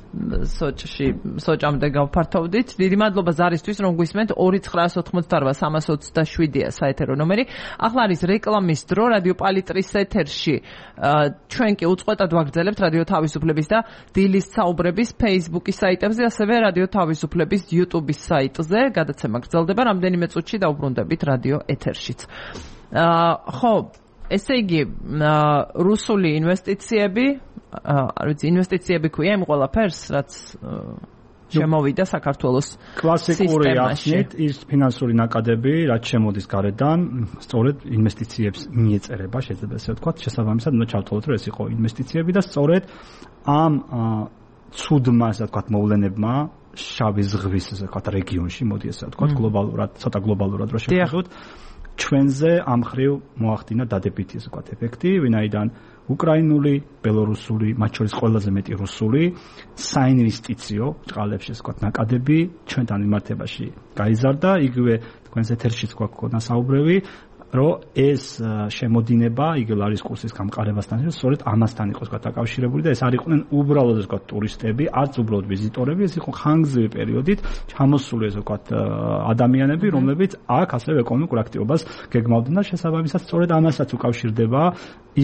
სოჭამდე გავფართოვდით. დიდი მადლობა ზარისთვის, რომ გვისმენთ. 2988-327-ია საეთერო ნომერი. ახლა არის რეკლამის დრო რადიო პალიტრის ეთერში. ჩვენ კი უწყვეტად ვაგრძელებთ რადიო თავისუფლების და დილის საუბრების Facebook-ის საიტებზე, ასევე რადიო თავისუფლების YouTube-ის საიტზე. გადაცემა გრძელდება რამდენიმე წუთში დაუბრუნდებით რადიო ეთერშიც. ხო, ესე იგი, რუსული ინვესტიციები, ინვესტიციები ქვია იმ ყველაფერს, რაც შემოვიდა საქართველოს კლასიკური ახსნით ის ფინანსური ნაკადები, რაც შემოდის გარედან, სწორედ ინვესტიციებს მიეწერება, შეიძლება ესე ვთქვათ, შესაბამისად უნდა ჩავთვალოთ, რომ ეს იყო ინვესტიციები და სწორედ ამ ცუდმა, ასე ვთქვათ, მოვლენებმა შავი ზღვის, ასე ვთქვათ, რეგიონში, მოდი ესე ვთქვათ, გლობალურად, ცოტა გლობალურად რო შევხედოთ, ჩვენზე ამ ხრივ მოახდინა დადებითი, ასე ვთქვათ, ეფექტი, ვინაიდან უკრაინული, ბელორუსული, მათ შორის ყველაზე მეტი რუსული საინვესტიციო წყალებში, ასე ვთქვათ, ნაკადები ჩვენთან მიმართებაში გაიზარდა. იგივე თქვენს ეთერშიც გვაქვს საუბრები, რომ ეს შემოდინება იგილარის კურსის გამყარებასთან სწორედ ამასთან იყო დაკავშირებული და ეს არ იყვნენ უბრალოდ, ასე ვთქვათ, ტურისტები, არც უბრალოდ ვიზიტორები, ეს იყო ხანგრძლივი პერიოდით ჩამოსული, ასე ვთქვათ, ადამიანები, რომლებიც აქ ასევე ეკონომიკურ აქტივობას გეგმავდნენ და შესაბამისად სწორედ ამასაც უკავშირდება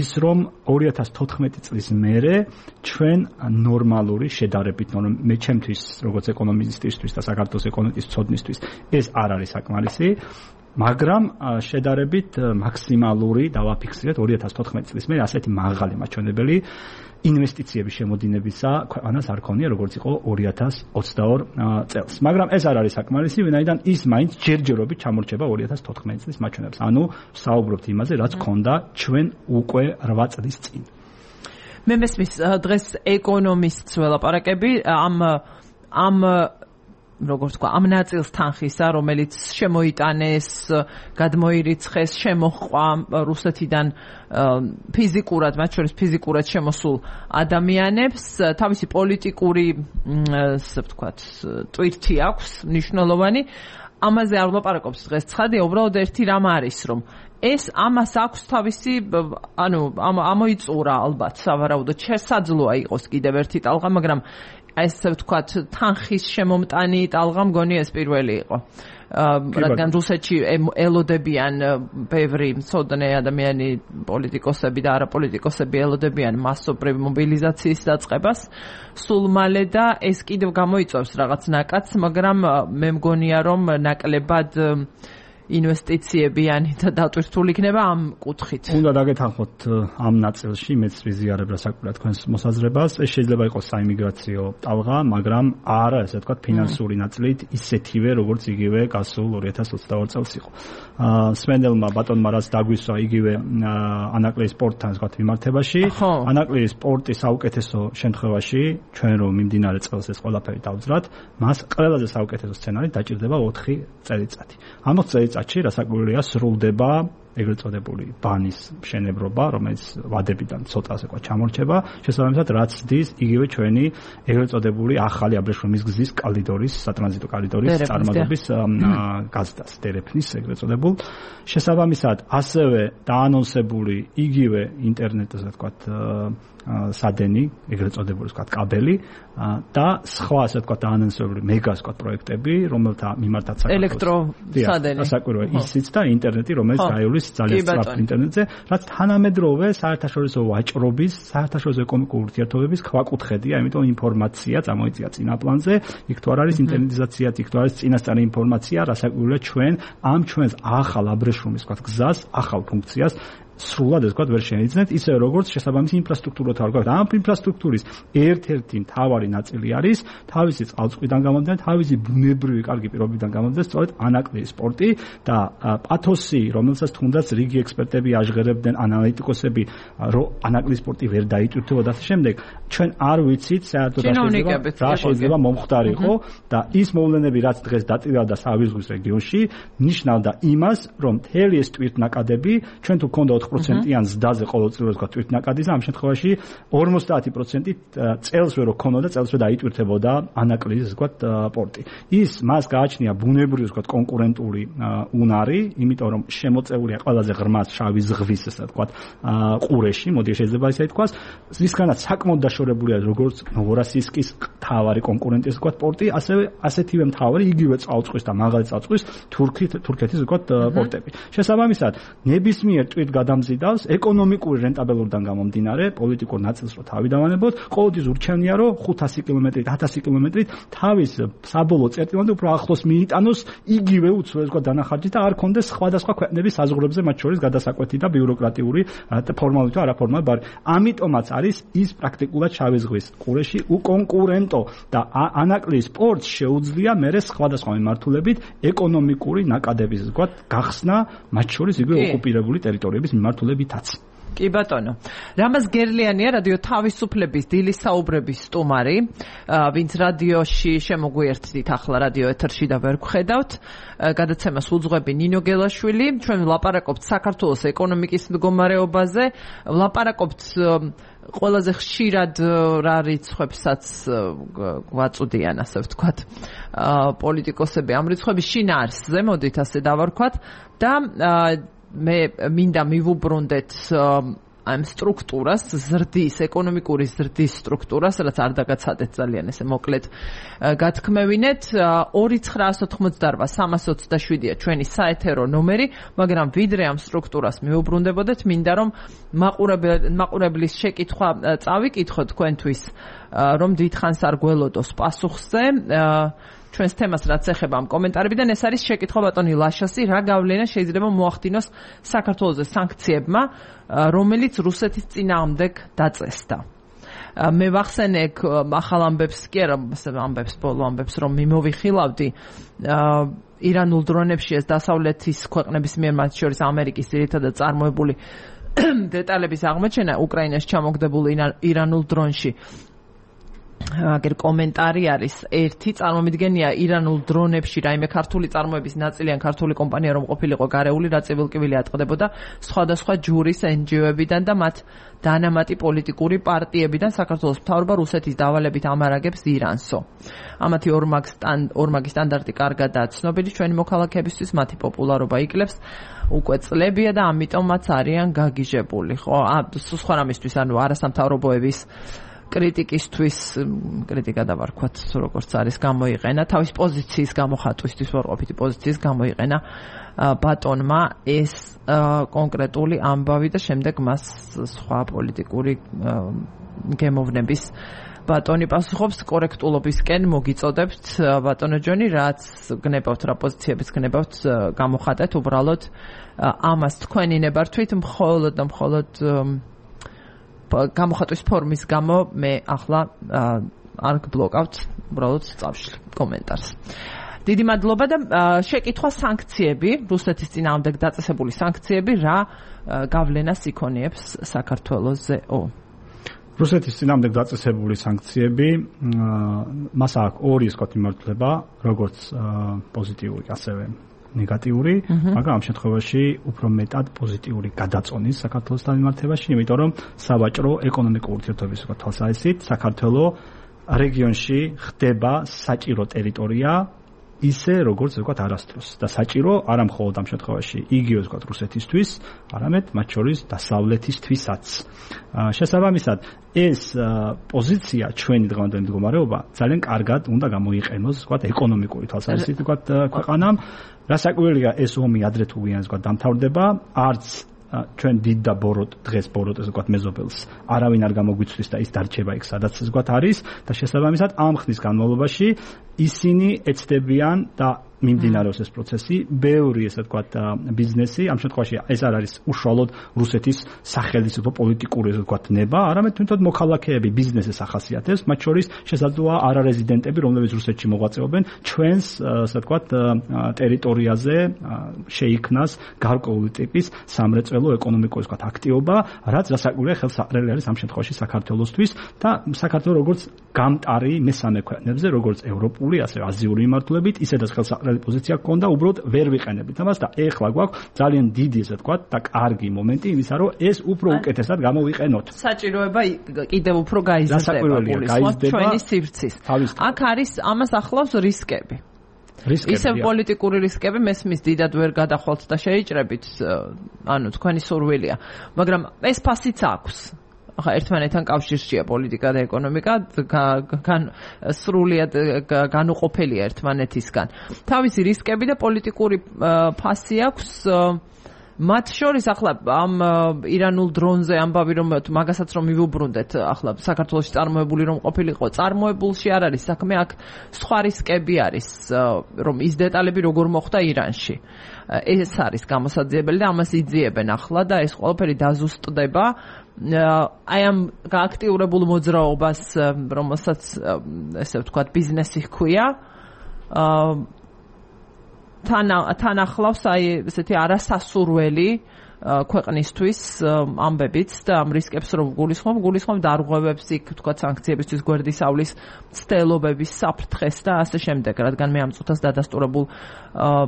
ის, რომ 2014 წლის მერე ჩვენ ნორმალური შედარებით, მე ჩემთვის, როგორც ეკონომისტისთვის და საქართველოს ეკონომიკის მცოდნისთვის, ეს არ არის საკმარისი. მაგრამ შედარებით მაქსიმალური დავაფიქსირეთ 2014 წლის მერე ასეთი მაღალი მაჩვენებელი ინვესტიციების შემოდინებისა ქვეყანას არ ქონია, როგორც იყო 2022 წელს. მაგრამ ეს არ არის საკმარისი, ვინაიდან ის მაინც ჯერჯერობით ჩამორჩება 2014 წლის მაჩვენებელს. ანუ საუბრობთ იმაზე, რაც ქონდა ჩვენ უკვე 8 წლის წინ. მე მესმის დღეს ეკონომისტს ველაპარაკები ამ როგორც თქვა, ამ ნაწილს თანხისა, რომელიც შემოიტანეს, გადმოირიცხეს, შემოჰყვა რუსეთიდან ფიზიკურად, მათ შორის ფიზიკურად შემოსულ ადამიანებს, თავისი პოლიტიკური, ასე ვთქვათ, ტვირთი აქვს, მნიშვნელოვანი. ამაზე არ ვლაპარაკობს დღეს ცხადია, უბრალოდ ერთი რამ არის, რომ ეს ამას აქვს თავისი ამოიწურა ალბათ სავარაუდოდ შესაძლოა იყოს კიდევ ერთი ტალღა, მაგრამ ესე ვთქვათ თანხის შემომტანი ტალღა მგონი ეს პირველი იყო. რადგან რუსეთში ელოდებიან ბევრი მცოდნე ადამიანი, პოლიტიკოსები და არაპოლიტიკოსები ელოდებიან მასობრივ მობილიზაციის დაწყებას სულ მალე და ეს კიდევ გამოიწვევს რაღაც ნაკადს, მაგრამ მე მგონია რომ ნაკლებად ინვესტიციებიანი და დატვირთული იქნება ამ კუთხით. უნდა დაგეთანხმოთ ამ ნაწილში, მეც ვიზიარებ რასაკვირველია თქვენს მოსაზრებას. ეს შეიძლება იყოს საიმიგრაციო ტალღა, მაგრამ არა, ესე ვთქვათ, ფინანსური ნაწილით ისეთივე, როგორც იგივე გასულ 2022 წელს იყო. სვენელმა ბატონმა რაც დაგვისვა იგივე ანაკლიის სპორტთან ვთქვათ მიმართებაში, ანაკლიის სპორტის საუკეთესო შემთხვევაში, ჩვენ რომ მიმდინარე წელს ეს ყველაფერი დავძრათ, მას ყველაზე საუკეთესო სცენარი დაჭირდება 4 წელიწადი. ამ 4 წელიწადში რასაკვირველია სრულდება ეგრეთ წოდებული ბანის მშენებლობა, რომელიც ვადებიდან ცოტა ასე ვთქვათ ჩამორჩება, შესაბამისად რაც ძის იგივე ჩვენი ეგრეთ წოდებული ახალი აბრეშუმის გზის კალიდორის, სატრანზიტო კალიდორის წარმოების გაზდას, დერეფნის ეგრეთ წოდებულ. შესაბამისად ასევე დაანონსებული იგივე ინტერნეტზე ასე ვთქვათ სადენი, ეგრეთ წოდებული ვთქვათ კაბელი და სხვა ასე ვთქვათ დაანონსებული მეგა ასე ვთქვათ პროექტები, რომელთა მიმართაც ელექტროსადენი. რასაკვირველია ისიც და ინტერნეტი, რომელიც გაივლის ძალიან სწრაფ ინტერნეტზე, რაც თანამედროვე საერთაშორისო ვაჭრობის, საერთაშორისო ეკონომიკური ურთიერთობების ქვაკუთხედია, ამიტომ ინფორმაცია წამოიწია წინა პლანზე, იქ თუ არ არის ინტერნეტიზაცია, იქ თუ არის წინასწარი ინფორმაცია, რასაკვირველია ჩვენ ამ ჩვენს ახალ აბრეშუმის ვთქვათ გზას, ახალ ფუნქციას სრულად ეს ვთქვათ ვერ შეიძლება ისე როგორც შესაბამისი ინფრასტრუქტურა თავგავთ. ამ ინფრასტრუქტურის ერთ-ერთი მთავარი ნაწილი არის თავისი წყალწყვიდან გამომდინარე, თავისი ბუნებრივი კარგი პირობიდან გამომდინარე, სწორედ ანაკლიის სპორტი და პათოსი, რომელსაც თუნდაც რიგი ექსპერტები აჟღერებდნენ, ანალიტიკოსები, რომ ანაკლიის სპორტი ვერ დაიტვირთებოდა და შემდეგ ჩვენ არ ვიცით საერთოდ რა შეიძლება მომხდარიყო და ის მოვლენები, რაც დღეს დაწირა სავიის ზღვის რეგიონში, ნიშნავდა იმას, რომ მთელი ეს ტვირთნაკადები ჩვენ თუ გქონდა 4%-იან ზდაზე ყოველწლიურად ვთქვათ ტვირთნაკადის, ამ შემთხვევაში 50% წელს ვერ ქონოდა, წელს ვერ დაიტვირთებოდა ანაკლიის ვთქვათ პორტი. ის მას გააჩნია ბუნებრივი ვთქვათ კონკურენტული უნარი, იმიტომ რომ შემოწეულია ყველაზე ღრმა შავი ზღვის ესე ვთქვათ ყურეში, მოდი შეიძლება ისე ითქვას, რისგანაც საკმაოდ დაშორებულია როგორც ნოვოროსიისკის მთავარი კონკურენტის ვთქვათ პორტი, ასევე ასეთივე მთავარი იგივე წყალწვის და მაღალი წყალწვის თურქეთის ვთქვათ პორტები. შესაბამისად, ნებისმიერ ტვირთ გადამზიდავს ეკონომიკური რენტაბელურიდან გამომდინარე, პოლიტიკურ ნაწილს რო თავი დავანებოთ, ყოველთვის ურჩევნია რომ 500 კილომეტრით, 1000 კილომეტრით თავის საბოლოო წერტილამდე უფრო ახლოს მიიტანოს იგივე უცხოეს ვთქვათ დანახარჯით და არ კონდეს სხვადასხვა ქვეყნების საზღვრებზე მათ შორის გადასაკვეთი და ბიუროკრატიული ფორმალური თუ არაფორმალური ბარი. ამიტომაც არის ის პრაქტიკულად შავი ზღვის ყურეში უკონკურენტო და ანაკლიის სპორტს შეუძლია მერე სხვადასხვა მიმართულებით ეკონომიკური ნაკადების ვთქვათ გახსნა მათ შორის იგივე ოკუპირებული ტერიტორიების მიმართულებითაც. კი ბატონო. რამაზ გერლიანია რადიო თავისუფლების დილის საუბრების სტუმარი, ვინც რადიოში შემოგვიერთდით ახლა რადიო ეთერში და ვერ გხედავთ. გადაცემას უძღვები ნინო გელაშვილი. ჩვენ ვლაპარაკობთ საქართველოს ეკონომიკის მდგომარეობაზე, ვლაპარაკობთ ყველაზე ხშირად რა რიცხვებსაც გვაწუდიან, ასე ვთქვათ, პოლიტიკოსები ამ რიცხვების შინაარსზე, მოდით ასე დავარქვათ და მე მინდა მივუბრუნდეთ ამ სტრუქტურას, ზრდის, ეკონომიკური ზრდის სტრუქტურას, რაც არ დაგაცადეთ ძალიან ესე მოკლედ გათქმევინეთ. 2988327-ია ჩვენი საეთერო ნომერი, მაგრამ ვიდრე ამ სტრუქტურას მივუბრუნდებოდეთ, მინდა რომ მაყურებლის შეკითხვა წავიკითხოთ თქვენთვის, რომ დიდხანს არ გველოდოს პასუხზე. ჩვენს თემას რაც ეხება ამ კომენტარებიდან, ეს არის შეკითხვა ბატონი ლაშასი, რა გავლენა შეიძლება მოახდინოს საქართველოს სანქციებმა, რომელიც რუსეთის წინააღმდეგ დაწესდა. მე ვახსენე ახალ ამბებს კი არა, ამბებს, ბოლო ამბებს, რომ მიმოვიხილავდი ირანულ დრონებში ეს დასავლეთის ქვეყნების მიერ, მათ შორის ამერიკის ძირითადად წარმოებული დეტალების აღმოჩენა უკრაინაში ჩამოგდებულ ირანულ დრონში აგერ კომენტარი არის ერთი წარმომიდგენია ირანულ დრონებში რაიმე ქართული წარმოების ნაწილი ან ქართული კომპანია რომ ყოფილიყო გარეული რა ცივილკივილი ატყდებოდა სხვადასხვა ჯურის NGO-ებიდან და მათ დანამატი პოლიტიკური პარტიებიდან საქართველოს მთავრობა რუსეთის დავალებით ამარაგებს ირანსო. ამათი ორმაგი სტანდარტი კარგადაა ცნობილი ჩვენი მოქალაქეებისთვის მათი პოპულარობა იკლებს უკვე წლებია და ამიტომაც არიან გაგიჟებული. ხო, სხვა რამისთვის ანუ არასამთავრობოების კრიტიკისთვის კრიტიკა დავარქვათ როგორც არის გამოიყენა თავის პოზიციის გამოხატვისთვის ვარყოფითი პოზიციის გამოიყენა ბატონმა ეს კონკრეტული ამბავი და შემდეგ მას სხვა პოლიტიკური გემოვნების ბატონი პასუხობს კორექტულობისკენ მოგიწოდებთ ბატონო ჯონი რაც გნებავთ რა პოზიციებიც გნებავთ გამოხატეთ უბრალოდ ამას თქვენი ნებართვით მხოლოდ და მხოლოდ გამოხატვის ფორმის გამო მე ახლა არ გბლოკავთ უბრალოდ წავშლი კომენტარს. დიდი მადლობა და შეკითხვა სანქციები, რუსეთის წინააღმდეგ დაწესებული სანქციები რა გავლენას იქონიებს საქართველოსზეო. რუსეთის წინააღმდეგ დაწესებული სანქციები მას აქვს ორი მიმართულება, როგორც პოზიტიური, ასევე ნეგატიური, მაგრამ ამ შემთხვევაში უფრო მეტად პოზიტიური გადაწონის საქართველოსთან მიმართებაში, იმიტომ რომ სავაჭრო ეკონომიკური ურთიერთობების თვალსაზრისით საქართველო რეგიონში ხდება საჭირო ტერიტორია ისე როგორც ვთქვათ არასდროს და საჭირო არა მხოლოდ ამ შემთხვევაში იგივე ვთქვათ რუსეთისთვის, არამედ მათ შორის დასავლეთისთვისაც. შესაბამისად ეს პოზიცია ჩვენი დღევანდელი მდგომარეობა ძალიან კარგად უნდა გამოიყენოს ვთქვათ ეკონომიკური თვალსაზრისით ვთქვათ ქვეყანამ. რასაკვირველია ეს ომი ადრე თუ ვიანს ვთქვათ დამთავრდება, არც ჩვენ დიდ და დღეს ბოროტეს ვთქვათ მეზობელს არავინ არ გამოგვიცვლის და ის დარჩება იქ სადაც ვთქვათ არის და შესაბამისად ამ ხნის განმავლობაში ისინი ეცდებიან და მიმდინარეობს ეს პროცესი, ბევრი ესე ვთქვათ ბიზნესი, ამ შემთხვევაში ეს არ არის უშუალოდ რუსეთის სახელმწიფო პოლიტიკური ესე ვთქვათ ნება, არამედ თუნდაც მოქალაქეები ბიზნესის ახასიათებს, მათ შორის შესაძლოა არარეზიდენტები, რომლებიც რუსეთში მოღვაწეობენ, ჩვენს ესე ვთქვათ ტერიტორიაზე შეიქმნას გარკვეული ტიპის სამრეწველო ეკონომიკური ესე ვთქვათ აქტივობა, რაც რასაკვირველია ხელსაყრელი არის ამ შემთხვევაში საქართველოსთვის და საქართველოს როგორც გამტარი მესამე ქვეყნებზე, როგორც ევროპული, ასევე აზიური მიმართულებით, ისედაც ხელსაყრელი პოზიცია გქონდა, უბრალოდ ვერ ვიყენებით ამას და ეხლა გვაქვს ძალიან დიდი ესე ვთქვათ და კარგი მომენტი იმისა, რომ ეს უფრო უკეთესად გამოვიყენოთ. საჭიროება კიდევ უფრო გაიზრდება ჩვენი სივრცის. აქ არის ამას ახლავს რისკები. ისევ პოლიტიკური რისკები მესმის დიდად ვერ გადახვალთ და შეიჭრებით, ანუ თქვენი სურვილია, მაგრამ ეს ფასიც აქვს. ახლა ერთმანეთთან კავშირშია პოლიტიკა და ეკონომიკა, სრულიად განუყოფელია ერთმანეთისგან. თავისი რისკები და პოლიტიკური ფასი აქვს. მათ შორის ახლა ამ ირანულ დრონზე ამბავი რომ მაგასაც რომ მივუბრუნდეთ, ახლა საქართველოში წარმოებული რომ ყოფილიყო, წარმოებულში არ არის საქმე, აქ სხვა რისკები არის, რომ ის დეტალები როგორ მოხდა ირანში. ეს არის გამოსაძიებელი და ამას იძიებენ ახლა და ეს ყველაფერი დაზუსტდება. აი ამ გააქტიურებულ მოძრაობას, რომელსაც ესე ვთქვათ ბიზნესი ჰქვია, თან ახლავს აი ესეთი არასასურველი ქვეყნისთვის ამბებიც და ამ რისკებს რომ გულისხმობ დარღვევებს იქ თქვა სანქციებისთვის გვერდისავლის ცდელობების საფრთხეს და ასე შემდეგ, რადგან მე ამ წუთას დადასტურებულ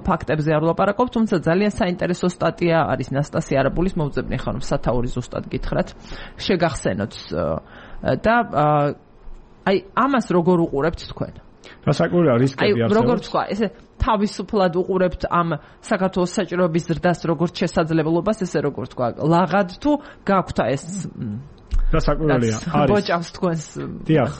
ფაქტებზე არ ვლაპარაკობ, თუმცა ძალიან საინტერესო სტატია არის ნასტასია არაბულის, მოვძებნი ხანმ სათაური ზუსტად გითხრათ, შეგახსენოთ და აი ამას როგორ უყურებთ თქვენ? რასაკვირველია რისკები არსებობს. როგორ თქვა, ესე თავისუფლად უყურებთ ამ საქართველოს საჭიროების ზრდას როგორც შესაძლებლობას, ესე როგორ თქვა, ლაღად თუ გაქვთ ეს რასაკვირველია არის ბოჭავს თქვენს დიახ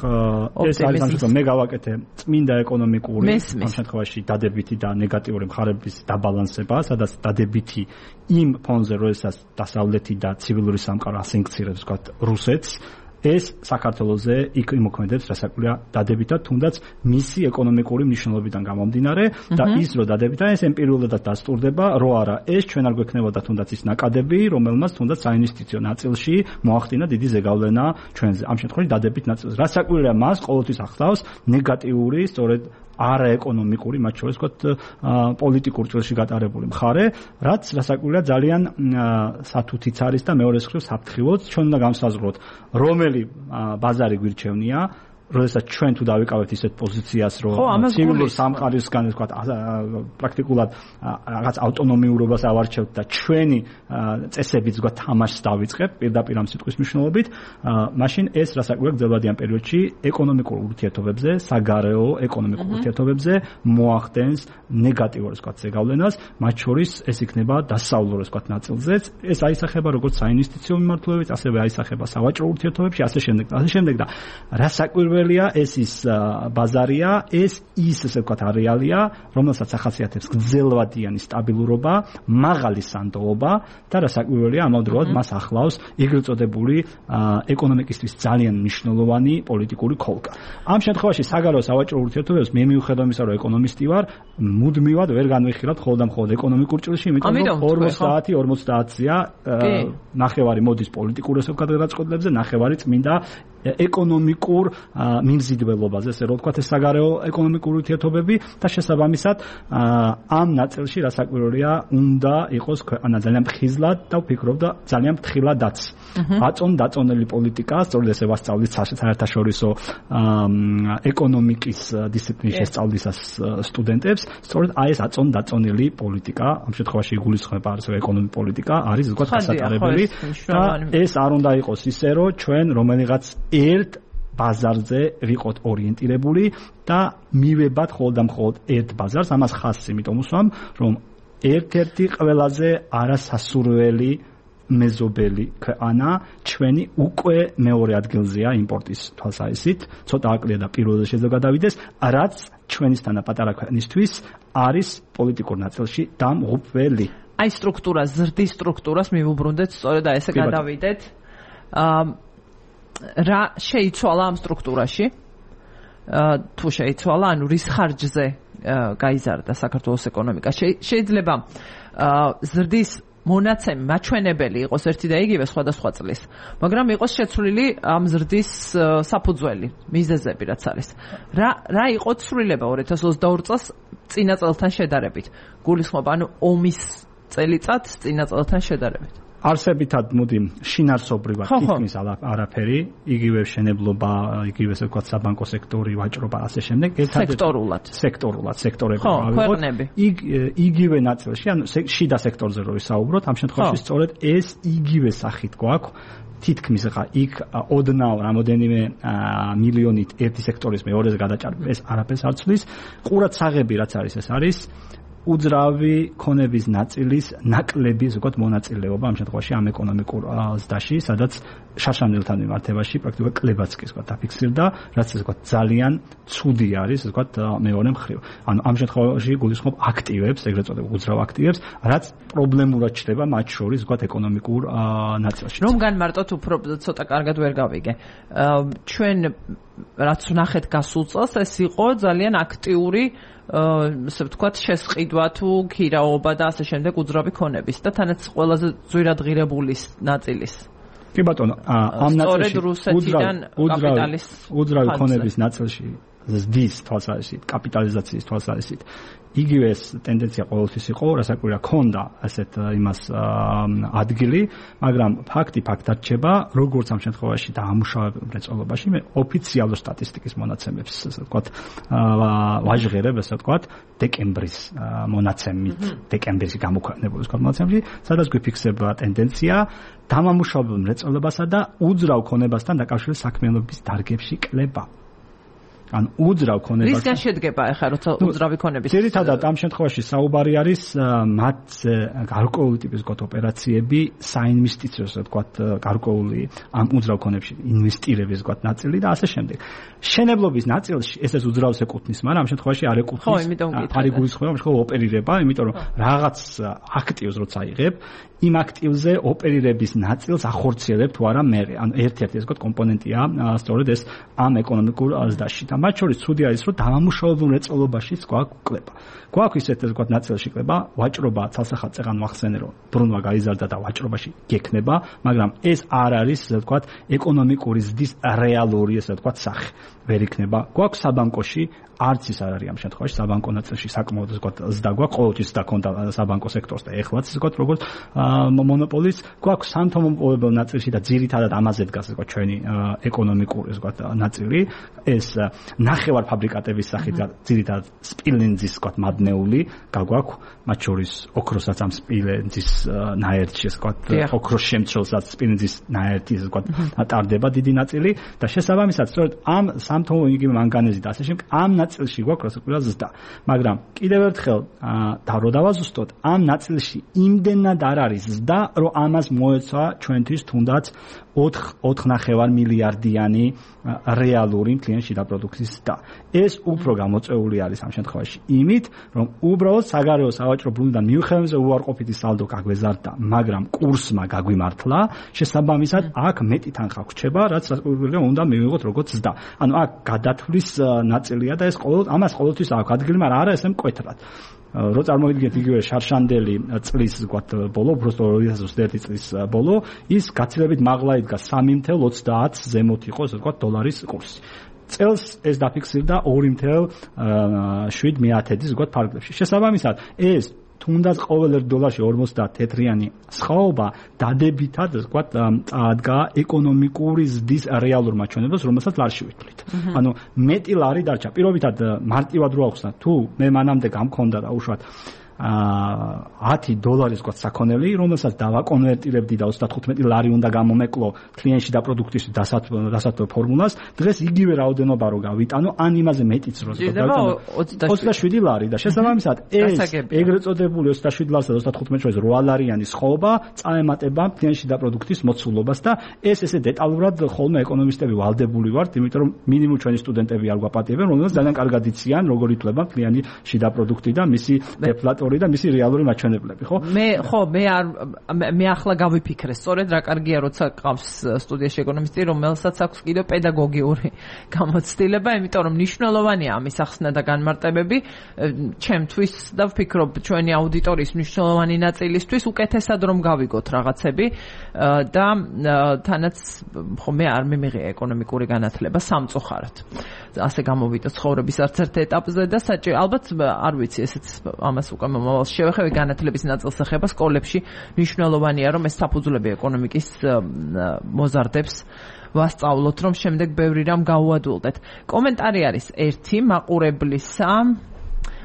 ეს არის ამ შემთხვევაში მე გავაკეთე წმინდა ეკონომიკური ამ შემთხვევაში დადებითი და ნეგატიური მხარეების დაბალანსება, სადაც დადებითი იმ ფონზე როდესაც დასავლეთი და ცივილური სამყარო ასანქცირებს ვთქვათ რუსეთს, ეს საქართველოზე იქ იმოქმედებს რასაკვირველია დადებითად, თუნდაც მისი ეკონომიკური მნიშვნელობიდან გამომდინარე და ის რო დადებითად ეს ემპირიულადად დასტურდება, რო არა ეს ჩვენ არ გვექნებოდა თუნდაც ის ნაკადები, რომელმაც თუნდაც საინვესტიციო ნაწილში მოახდინა დიდი ზეგავლენა ჩვენზე. ამ შემთხვევაში დადებით ნაწილს. რასაკვირველია მას ყოველთვის ახლავს ნეგატიური, სწორედ არაეკონომიკური, მათ შორის ვთქვათ პოლიტიკურ წილში გატარებული მხარე, რაც რასაკვირველია ძალიან სათუთიც არის და მეორე მხრივ საფრთხილოც. ჩვენ უნდა განსაზღვროთ, რომელი ბაზარი გვირჩევნია, როდესაც ჩვენ თუ დავიკავებთ ისეთ პოზიციას, რომ ცივილურ სამყაროსგან ვთქვათ, პრაქტიკულად რაღაც ავტონომიურობას ავარჩევთ და ჩვენი წესებით ვთქვათ თამაშს დავიწყებ პირდაპირ ამ სიტყვის მნიშვნელობით, მაშინ ეს რასაკვირველია გრძელვადიან პერიოდში ეკონომიკურ ურთიერთობებზე, საგარეო ეკონომიკურ ურთიერთობებზე მოახდენს ნეგატიურ ვთქვათ ზეგავლენას, მათ შორის ეს იქნება დასავლურ ვთქვათ ნაწილზეც, ეს აისახება როგორც საინვესტიციო მიმართულებით, ასევე აისახება სავაჭრო ურთიერთობებში, ასე შემდეგ და რასაკვირველია ეს ის ბაზარია, ეს ის ესე ვთქვათ არეალია, რომელსაც ახასიათებს გრძელვადიანი სტაბილურობა, მაღალი სანდოობა და რასაკვირველია ამავდროულად მას ახლავს ეგრეთ წოდებული ეკონომიკისთვის ძალიან მნიშვნელოვანი პოლიტიკური ქოლკა. ამ შემთხვევაში საგარეო სავაჭრო ურთიერთობებს მე მიუხედავად იმისა, რომ ეკონომისტი ვარ, მუდმივად ვერ განვიხილავთ მხოლოდ და მხოლოდ ეკონომიკურ ჭრილში, იმიტომ რომ 50-50-ია ნახევარი მოდის პოლიტიკურ ესე ვთქვათ გადაწყვეტილებზე, ნახევარი წმინდა ეკონომიკურ მიმზიდველობაზე, ესე რომ ვთქვათ ეს საგარეო ეკონომიკური ურთიერთობები და შესაბამისად ამ ნაწილში რასაკვირველია უნდა იყოს ქვეყანა ძალიან ფხიზლად და ვფიქრობ და ძალიან ფრთხილადაც. აწონ-დაწონელი პოლიტიკა, სწორედ ესე ვასწავლით საერთაშორისო ეკონომიკის დისციპლინის შესწავლისას სტუდენტებს, სწორედ აი ეს აწონ-დაწონელი პოლიტიკა, ამ შემთხვევაში იგულისხმება ასევე ეკონომიკური პოლიტიკა, არის ვთქვათ გასატარებელი და ეს არ უნდა იყოს ისე, რომ ჩვენ რომელიღაც ერთ ბაზარზე ვიყოთ ორიენტირებული და მივებათ მხოლოდ და მხოლოდ ერთ ბაზარს, ამას ხაზს იმიტომ უსვამ, რომ ერთ-ერთი ყველაზე არასასურველი მეზობელი ქვეყანა ჩვენი უკვე მეორე ადგილზეა იმპორტის თვალსაზრისით, ცოტა აკლია და პირველზე შეიძლება გადავიდეს, რაც ჩვენისთანა პატარა ქვეყნისთვის არის პოლიტიკურ ნაწილში დამღუპველი. აი სტრუქტურას, ზრდის სტრუქტურას მივუბრუნდეთ, სწორედ აი ესე გადავიდეთ. რა შეიცვალა ამ სტრუქტურაში? თუ შეიცვალა, ანუ რის ხარჯზე გაიზარდა საქართველოს ეკონომიკა? შეიძლება ზრდის მონაცემი მაჩვენებელი იყოს ერთი და იგივე სხვადასხვა წლის, მაგრამ იყოს შეცვლილი ამ ზრდის საფუძველი, მიზეზები რაც არის. რა იყო ცვლილება 2022 წელს წინა წელთან შედარებით? გულისხმობა, ანუ ომის წელიწად წინა წელთან შედარებით. არსებითად მოდი შინარსობრივად თითქმის არაფერი, იგივე შენებლობა, იგივე ესე ვთქვათ საბანკო სექტორი, ვაჭრობა, ასე შემდეგ, სექტორულად სექტორები ავიღოთ. იგივე ნაწილში, ანუ შიდა სექტორზე რო ვისაუბროთ, ამ შემთხვევაში სწორედ ეს იგივე სახით გვაქვს. თითქმის ხა იქ ოდნავ რამოდენიმე მილიონით ერთი სექტორის მეორეზე გადაჭარბება, ეს არაფერს არ ცვლის. ყურადსაღები რაც არის, ეს არის უძრავი ქონების ნაწილის ნაკლების ვთქვათ მონაწილეობა ამ შემთხვევაში ამ ეკონომიკურ ზრდაში, სადაც შარშანელთან მიმართებაში პრაქტიკულად კლებაც კი ვთქვათ დაფიქსირდა, რაც ვთქვათ ძალიან ცუდი არის ვთქვათ მეორე მხრივ. ანუ ამ შემთხვევაში გულისხმობ აქტივებს, ეგრეთ წოდებულ უძრავ აქტივებს, რაც პრობლემურად ჩნდება მათ შორის ვთქვათ ეკონომიკურ ნაწილში. რომ განმარტოთ უფრო ცოტა კარგად ვერ გავიგე. ჩვენ რაც ვნახეთ გასულ წელს, ეს იყო ძალიან აქტიური ასე ვთქვათ შესყიდვა თუ ქირაობა და ასე შემდეგ უძრავი ქონების და თანაც ყველაზე ძვირად ღირებული ნაწილის. კი ბატონო, ამ ნაწილში უძრავი ქონების ნაწილში ზრდის თვალსაზრისით, კაპიტალიზაციის თვალსაზრისით იგივე ეს ტენდენცია ყოველთვის იყო, რასაკვირველია ქონდა ასეთ იმას ადგილი, მაგრამ ფაქტი ფაქტად რჩება, როგორც ამ შემთხვევაში და ამუშავებელ მრეწველობაში მე ოფიციალურ სტატისტიკის მონაცემებს, ასე ვთქვათ, ვაჟღერებ, ასე ვთქვათ, დეკემბრის მონაცემით, დეკემბერში გამოქვეყნებული ვთქვათ მონაცემში, სადაც გვიფიქსება ტენდენცია დამამუშავებელ მრეწველობასა და უძრავ ქონებასთან დაკავშირებული საქმიანობის დარგებში კლება. ან უძრავ ქონებას რისგან შედგება ახლა როცა უძრავი ქონების ძირითადად ამ შემთხვევაში საუბარი არის მათ გარკვეული ტიპის ვთქვათ ოპერაციები საინვესტიციო ვთქვათ გარკვეული ამ უძრავ ქონებში ინვესტირების ვთქვათ ნაწილი და ასე შემდეგ შენებლობის ნაწილში ესეც უძრავს ეკუთვნის მაგრამ ამ შემთხვევაში არ ეკუთვნის არის გულისხმობა მხოლოდ ოპერირება იმიტომ რომ რაღაც აქტივს როცა იღებ იმ აქტივზე ოპერირების ნაწილს ახორციელებ თუ არა მე ანუ ერთ-ერთი ეს ვთქვათ კომპონენტია სწორედ ეს ამ ეკონომიკურ ზრდაში და მათ შორის ცუდი არის, რომ დამამუშავებელ მრეწველობაშიც გვაქვს კლება. გვაქვს ისეთ თქვათ ნაწილში კლება, ვაჭრობა ცალსახად წეღან ვახსენე, რომ ბრუნვა გაიზარდა და ვაჭრობაში გექნება, მაგრამ ეს არ არის, ასე ვთქვათ, ეკონომიკური ზრდის რეალური, ასე ვთქვათ, სახე. ვერ იქნება. გვაქვს საბანკოში არც ის არ არის ამ შემთხვევაში საბანკო ნაწილში საკმაოდ ვთქვათ ზრდა გვაქვს, ყოველთვის ზრდა ქონდა საბანკო სექტორს და ეხლაც ვთქვათ როგორც მონოპოლის გვაქვს სამთო-მომპოვებელ ნაწილში და ძირითადად ამაზე დგას ვთქვათ ჩვენი ეკონომიკური ვთქვათ ნაწილი, ეს ნახევარ ფაბრიკატების სახით ძირითადად სპილენძის ვთქვათ მადნეული გაგვაქვს, მათ შორის ოქროსაც ამ სპილენძის ნაერთში ვთქვათ ოქროს შემცველსაც სპილენძის ნაერთი ვთქვათ ატარდება დიდი ნაწილი და შესაბამისად სწორედ ამ სამთო იგივე მანგანეზი და ასე შემდეგ ამ ნაწილში გვაქვს რასაკვირველად ზრდა, მაგრამ კიდევ ერთხელ და დავაზუსტოთ, ამ ნაწილში იმდენად არ არის ზრდა, რომ ამას მოეცვა ჩვენთვის თუნდაც 4.5 მილიარდიანი რეალური მთლიანი შიდა პროდუქტის ზრდა. ეს უფრო გამოწვეული არის ამ შემთხვევაში იმით, რომ უბრალოდ საგარეო სავაჭრო ბრუნვიდან მიუხედავად უარყოფითი სალდო გაგვეზარდა, მაგრამ კურსმა გაგვიმართლა, შესაბამისად აქ მეტი თანხა გვრჩება, რაც რასაკვირველია უნდა მივიღოთ როგორც ზრდა. ანუ აქ გადათვლის ნაწილია და ეს ამას ყოველთვის აქვს ადგილი, მაგრამ არა ესე მკვეთრად. რო წარმოვიდგინეთ იგივე შარშანდელი წლის ვთქვათ ბოლო, უბრალოდ 2021 წლის ბოლო, ის გაცილებით მაღლა იდგა 3.30 ზემოთ იყო, ასე ვთქვათ, დოლარის კურსი. წელს ეს დაფიქსირდა 2.7 ვთქვათ ფარგლებში. შესაბამისად, ეს თუნდაც ყოველ ერთ დოლარში 50 თეთრიანი სხვაობა დადებითად ვთქვათ წაადგა ეკონომიკური ზრდის რეალურ მაჩვენებლებს, რომელსაც ლარში ვითვლით. ანუ მეტი ლარი დარჩა. პირობითად მარტივად რო ახსნა, თუ მე მანამდე გამქონდა და უშუალოდ $10 ვთქვათ საქონელი, რომელსაც დავაკონვერტირებდი და 35 ლარი უნდა გამომეკლო კლიენტში და პროდუქტის დასათვალო ფორმულას, დღეს იგივე რაოდენობა რო გავიტანო, ან იმაზე მეტიც რო გავიტანო 27 ლარი და შესაბამისად ეს ეგრეთ წოდებული 27 ლარსა და 35 შორის 8 ლარიანი სხვაობა წაემატება კლიენტში და პროდუქტის მოცულობას და ესე დეტალურად ხოლმე ეკონომისტები ვალდებული ვართ, იმიტომ რომ მინიმუმ ჩვენი სტუდენტები არ გვაპატიებენ, რომელსაც ძალიან კარგად იციან, როგორ ითვლება კლიენტი შიდა პროდუქტი და მისი დეფლატორი და მისი რეალური მაჩვენებლები, ხო? მე ახლა გავიფიქრე, სწორედ რა კარგია, როცა ყავს სტუდიაში ეკონომისტი, რომელსაც აქვს კიდევ პედაგოგიური გამოცდილება, იმიტომ რომ მნიშვნელოვანია ამის ახსნა და განმარტებები ჩემთვის და ვფიქრობ ჩვენი აუდიტორიის მნიშვნელოვანი ნაწილისთვის უკეთესად რომ გავიგოთ რაღაცები და თანაც ხო მე არ მიმიღია ეკონომიკური განათლება სამწუხაროდ. ასე გამოვიდა ცხოვრების არც ერთ ეტაპზე და ალბათ არ ვიცი ესეც ამას უკვე მომავალში შევეხები განათლების ნაწილს ეხება სკოლებში მნიშვნელოვანია რომ ეს საფუძვლები ეკონომიკის მოზარდებს ვასწავლოთ რომ შემდეგ ბევრი რამ გაუადვილდეთ. კომენტარი არის ერთი მაყურებლისა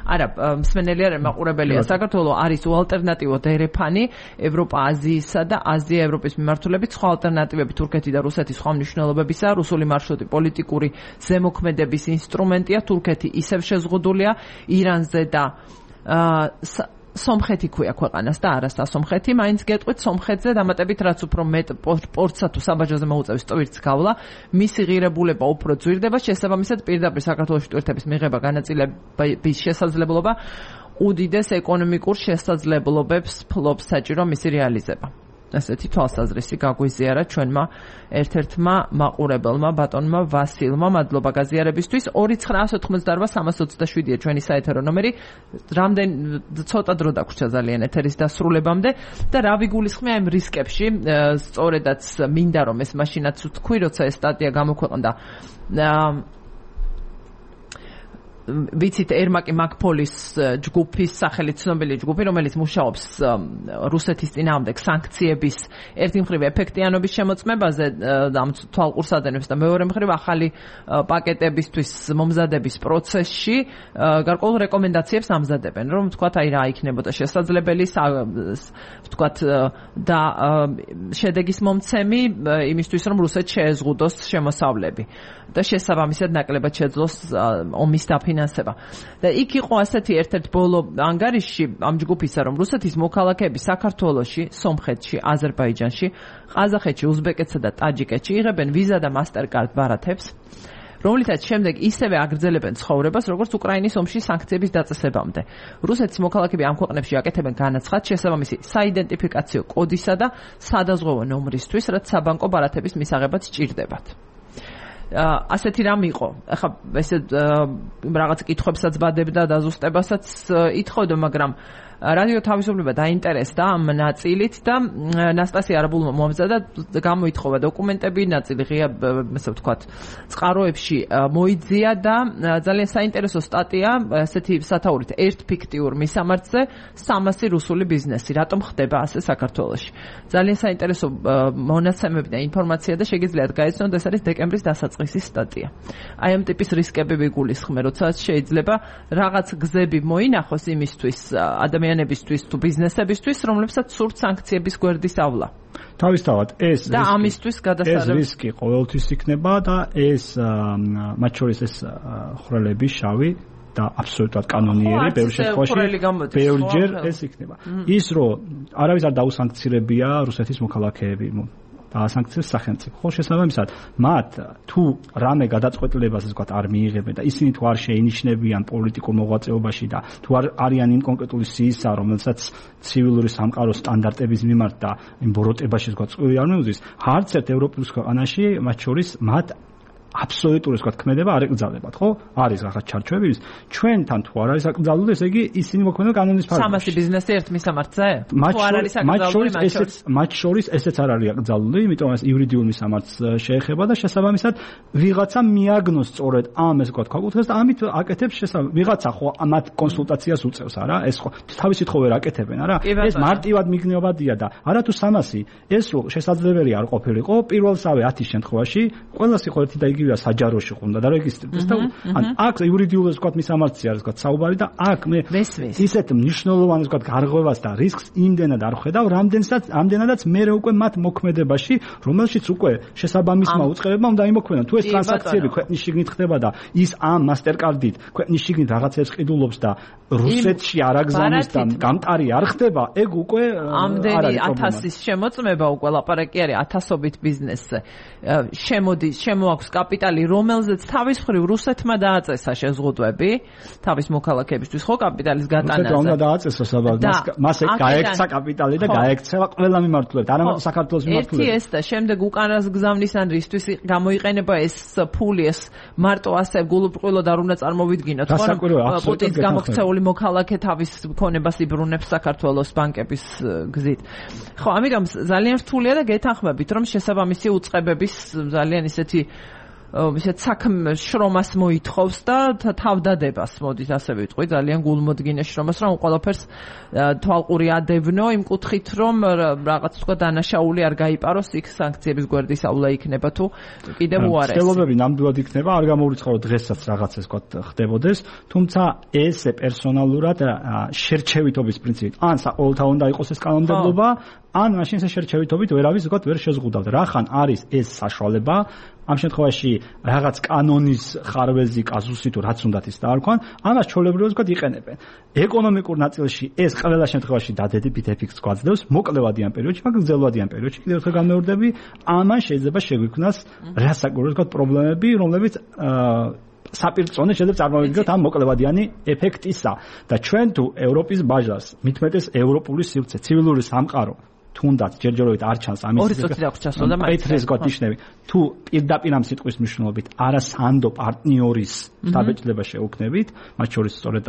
არა, მსმენელი არ მაყურებელია. საქართველოს არის უალტერნატივო დერეფანი ევროპა აზიისა და აზია ევროპის მიმართულებით. სხვა ალტერნატივები თურქეთი და რუსეთის სხვა მნიშვნელობებისა, რუსული მარშრუტი პოლიტიკური ზემოქმედების ინსტრუმენტია. თურქეთი ისევ შეზღუდულია ირანზე და სომხეთი ქვია ქვეყანას და არასთა სომხეთი, მაინც გეტყვით სომხეთზე დამატებით რაც უფრო მეტ პორტსა თუ საბაჟოზე მოუწევს ტვირთს გავლა, მისი ღირებულება უფრო ძვირდება, შესაბამისად პირდაპირ საქართველოში ტვირთების მიღება განაწილების შესაძლებლობა უდიდეს ეკონომიკურ შესაძლებლობებს ფლობს საჭირო მისი რეალიზება. ასეთი თვალსაზრისი გაგვიზიარა ჩვენმა ერთ-ერთმა მაყურებელმა ბატონმა ვასილმა. მადლობა გაზიარებისთვის. 2998327-ია ჩვენი საეთერო ნომერი. რამდენი ცოტა დრო დაგვრჩა ძალიან ეთერის დასრულებამდე და რა ვიგულისხმია იმ რისკებში, სწორედაც მინდა რომ ეს მაშინაც ვთქვი, როცა ეს სტატია გამოქვეყნდა ვიცით ერმაკი მაკფოლის ჯგუფის სახელით ცნობილი ჯგუფი, რომელიც მუშაობს რუსეთის წინააღმდეგ სანქციების ერთი მხრივ ეფექტიანობის შემოწმებაზე ამ თვალყურს ადენებს და მეორე მხრივ ახალი პაკეტებისთვის მომზადების პროცესში გარკვეულ რეკომენდაციებს ამზადებენ, რომ თქვათ აი რა იქნებოდა შესაძლებელი თქვათ და შედეგის მომცემი იმისთვის რომ რუსეთს შეეზღუდოს შემოსავლები და შესაბამისად ნაკლებად შეძლოს ომის დაფინანსება. და იქ იყო ასეთი ერთ-ერთ ბოლო ანგარიშში ამ ჯგუფისა, რომ რუსეთის მოქალაქეები საქართველოში, სომხეთში, აზერბაიჯანში, ყაზახეთში, უზბეკეთსა და ტაჯიკეთში იღებენ ვიზა და მასტერკარდ ბარათებს, რომლითაც შემდეგ ისევე აგრძელებენ ცხოვრებას, როგორც უკრაინის ომში სანქციების დაწესებამდე. რუსეთის მოქალაქეები ამ ქვეყნებში აკეთებენ განაცხადს შესაბამისი საიდენტიფიკაციო კოდისა და სადაზღვევო ნომრისთვის, რაც საბანკო ბარათების მისაღებად სჭირდებათ. ასეთი რამ იყო. ახლა ესე რაღაც კითხვებსაც ვადებდა და ზუსტებასაც ითხოვდა, მაგრამ რადიო თავისუფლება დაინტერესდა ამ ნაწილით და ნასტასია არაბულმა მომზადა გამოითხოვა დოკუმენტები, ნაწილი ღია, ასე ვთქვათ, წყაროებში მოიძია და ძალიან საინტერესო სტატია ასეთი სათაურით ერთ ფიქტიურ მისამართზე 300 რუსული ბიზნესი. რატომ ხდება ასე საქართველოში? ძალიან საინტერესო მონაცემები და ინფორმაცია და შეგიძლიათ გაეცნოთ, ეს არის დეკემბრის დასაწყისის სტატია. აი ამ ტიპის რისკები ვიგულისხმე, როცა შეიძლება რაღაც გზები მოინახოს იმისთვის ადამიანებისთვის თუ ბიზნესებისთვის, რომლებსაც სურთ სანქციების გვერდის ავლა. თავისთავად ეს და ამისთვის გადასარევი რისკი ყოველთვის იქნება და ეს მათ შორის ეს ხრელები შავი და აბსოლუტურად კანონიერი ბევრ შემთხვევაში ბევრჯერ ეს იქნება. ის რომ არავის არ დაუსანქცირებია რუსეთის მოქალაქეები და სანქციებს სახელმწიფო. ხო, შესაბამისად, მათ თუ რამე გადაწყვეტილებას ასე ვთქვათ არ მიიღებენ და ისინი თუ არ შეინიშნებიან პოლიტიკურ მოღვაწეობაში და თუ არ არიან იმ კონკრეტული სიისა, რომელსაც ცივილური სამყაროს სტანდარტების მიმართ და იმ ბოროტებაში ასე ვთქვათ წვირი არ მიუძის, არც ერთ ევროპულ ქვეყანაში მათ შორის მათ აბსოლუტური ასე ვთქვათ ქმედება არ ეკრძალებათ, ხო? არის რაღაც ჩარჩოები, ჩვენთან თუ არ არის აკრძალული, ესე იგი ისინი მოქმედებენ კანონის ფარგლებში. 300 ბიზნესი ერთ მისამართზე? თუ არ არის აკრძალული, მათ შორის ესეც არ არის აკრძალული, იმიტომ ეს იურიდიულ მისამართს შეეხება და შესაბამისად ვიღაცა მიაგნოს სწორედ ამ ესე ვთქვათ ქვაკუთხედს და ამით აკეთებს ვიღაცა ხო მათ კონსულტაციას უწევს, არა? ეს ხო თავისით ხო ვერ აკეთებენ, არა? ეს მარტივად მიგნიობადია და არათუ 300 ეს რო შესაძლებელი არ ყოფილიყო პირველსავე 10 შემთხვევაში ყველას იყო ერთი და იგივეა საჯაროში ხუნდა და რეგისტრირდეს და ან აქ იურიდიულ ასე ვთქვათ მისამართზე არის ვთქვათ საუბარი და აქ მე ისეთ მნიშვნელოვან ასე ვთქვათ გარღვევას და რისკს იმდენად არ ხედავ, რამდენადაც მე უკვე მათ მოქმედებაში, რომელშიც უკვე შესაბამისმა უწყებებმა უნდა იმოქმედონ. თუ ეს ტრანზაქციები ქვეყნის შიგნით ხდება და ის ამ მასტერკარდით ქვეყნის შიგნით რაღაცებს ყიდულობს და რუსეთში არ აგზავნის და გამტარი არ ხდება, ეგ უკვე ამდენი 1000-ის შემოწმება უკვე ლაპარაკი არის 1000-ობით ბიზნესზე. შემოაქვს კაპიტალი, რომელზეც თავის მხრივ რუსეთმა დააწესა შეზღუდვები თავის მოქალაქეებისთვის, ხო, კაპიტალის გატანაზე. რუსეთმა უნდა დააწესოს, მას გაექცა კაპიტალი და გაექცევა ყველა მიმართულებით, არა მარტო საქართველოს მიმართულებით. ერთი ეს და შემდეგ უკანას გზავნის ან რისთვის გამოიყენება ეს ფული, ეს მარტო ასე გულუბრყვილოდ არ უნდა წარმოვიდგინოთ, ხო? პუტინის გამოქცეული მოქალაქე თავის მქონებას იბრუნებს საქართველოს ბანკების გზით. ხო, ამიტომ ძალიან რთულია და გეთანხმებით, რომ შესაბამისი უწყებების ძალიან ისეთი საქმე შრომას მოითხოვს და თავდადებას მოდით ასე ვიტყვი, ძალიან გულმოდგინე შრომას, რომ ყველაფერს თვალყური ადევნო იმ კუთხით, რომ რაღაც თქვა დანაშაული არ გაიპაროს, იქ სანქციების გვერდის ავლა იქნება თუ კიდევ უარესი. ხელობები ნამდვილად იქნება, არ გამოვრიცხავ დღესაც რაღაცას ვთქვათ ხდებოდეს, თუმცა ესე პერსონალურად შერჩევითობის პრინციპით, ან საყოველთაო უნდა იყოს ეს კანონმდებლობა, ან მაშინ ეს შერჩევითობით ვერავის ვთქვათ ვერ შეზღუდავთ. რახან არის ეს საშუალება ამ შემთხვევაში რაღაც კანონის ხარვეზი კაზუსი თუ რაც უნდათ ის დაარქვან, ამას ჩვეულებრივად ვთქვათ იყენებენ. ეკონომიკურ ნაწილში ეს ყველა შემთხვევაში დადებით ეფექტს გვაძლევს მოკლევადიან პერიოდში, მაგრამ გრძელვადიან პერიოდში კიდევ ერთხელ გამეორდები, ამან შეიძლება შეგვიქმნას რასაკვირველად ვთქვათ პრობლემები, რომლებიც საპირწონე შეიძლება წარმოვიდგინოთ ამ მოკლევადიანი ეფექტისა და ჩვენ თუ ევროპის ბაჟას მitmetes ევროპული სივრცე, ცივილური სამყარო თუნდაც ჯერჯერობით არ ჩანს ამის პეტრეს გოთნიშნები თუ პირდაპირ ამ სიტყვის მნიშვნელობით არასანდო პარტნიორის შთაბეჭდილება შეუქმნებით, მათ შორის სწორედ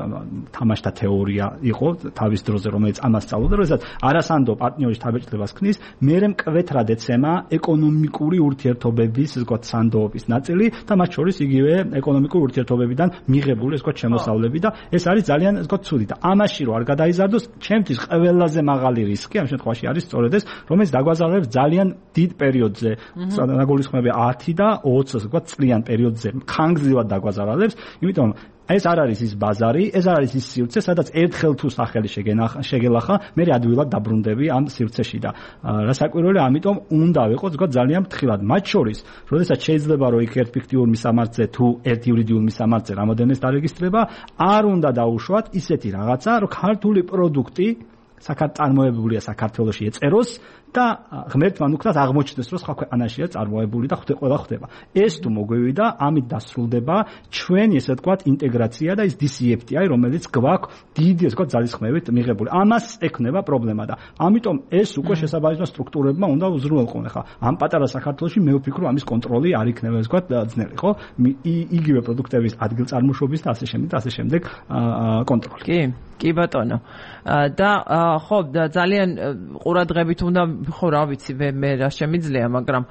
თამაშთა თეორია იყო თავის დროზე, რომელიც ამას სწავლობდა, როდესაც არასანდო პარტნიორის შთაბეჭდილებას ქმნის, მერე მკვეთრად ეცემა ეკონომიკური ურთიერთობების ვთქვათ სანდოობის ნაწილი და მათ შორის იგივე ეკონომიკური ურთიერთობებიდან მიღებული ვთქვათ შემოსავლები და ეს არის ძალიან ვთქვათ ცუდი და ამაში რო არ გადაიზარდოს, ჩემთვის ყველაზე მაღალი რისკი ამ შემთხვევაში არის სწორედ ეს, რომელიც დაგვაზარებს ძალიან დიდ პერიოდზე, საგულისხმები 10 და 20 ვთქვათ წლიან პერიოდზე, ხანგრძლივად დაგვაზარებს, იმიტომ ეს არ არის ის ბაზარი, ეს არ არის ის სივრცე, სადაც ერთხელ თუ სახელი შეგელახა, მე ადვილად დაბრუნდები ამ სივრცეში და რასაკვირველია, ამიტომ უნდა ვიყოთ ვთქვათ ძალიან ფრთხილად. მათ შორის, როდესაც შეიძლება რომ იქ ერთ ფიქტიურ მისამართზე თუ ერთ იურიდიულ მისამართზე რამოდენმეც დარეგისტრება, არ უნდა დაუშვათ ისეთი რაღაცა, რომ ქართული პროდუქტი წარმოებულია საქართველოში ეწეროს და ღმერთმა ნუქნას აღმოჩნდეს, რომ სხვა ქვეყანაშია წარმოებული და ყველა ხდება. ეს თუ მოგვივიდა, ამით დასრულდება ჩვენი, ესე ვთქვათ, ინტეგრაცია და ის DCFTA, რომელიც გვაქვს დიდი, ესე ვთქვათ, ძალისხმევით მიღებული. ამას ექნება პრობლემა და ამიტომ ეს უკვე შესაბამისმა სტრუქტურებმა უნდა უზრუნველყონ. ხა ამ პატარა საქართველოში მე ვფიქრობ, ამის კონტროლი არ იქნება, ესე ვთქვათ, ძნელი, ხო? იგივე პროდუქტების ადგილწარმოშობის და ასე შემდეგ კონტროლი. კი ბატონო. და ხო, ძალიან ყურადღებით უნდა, ხო რა ვიცი, მე რა შემიძლია, მაგრამ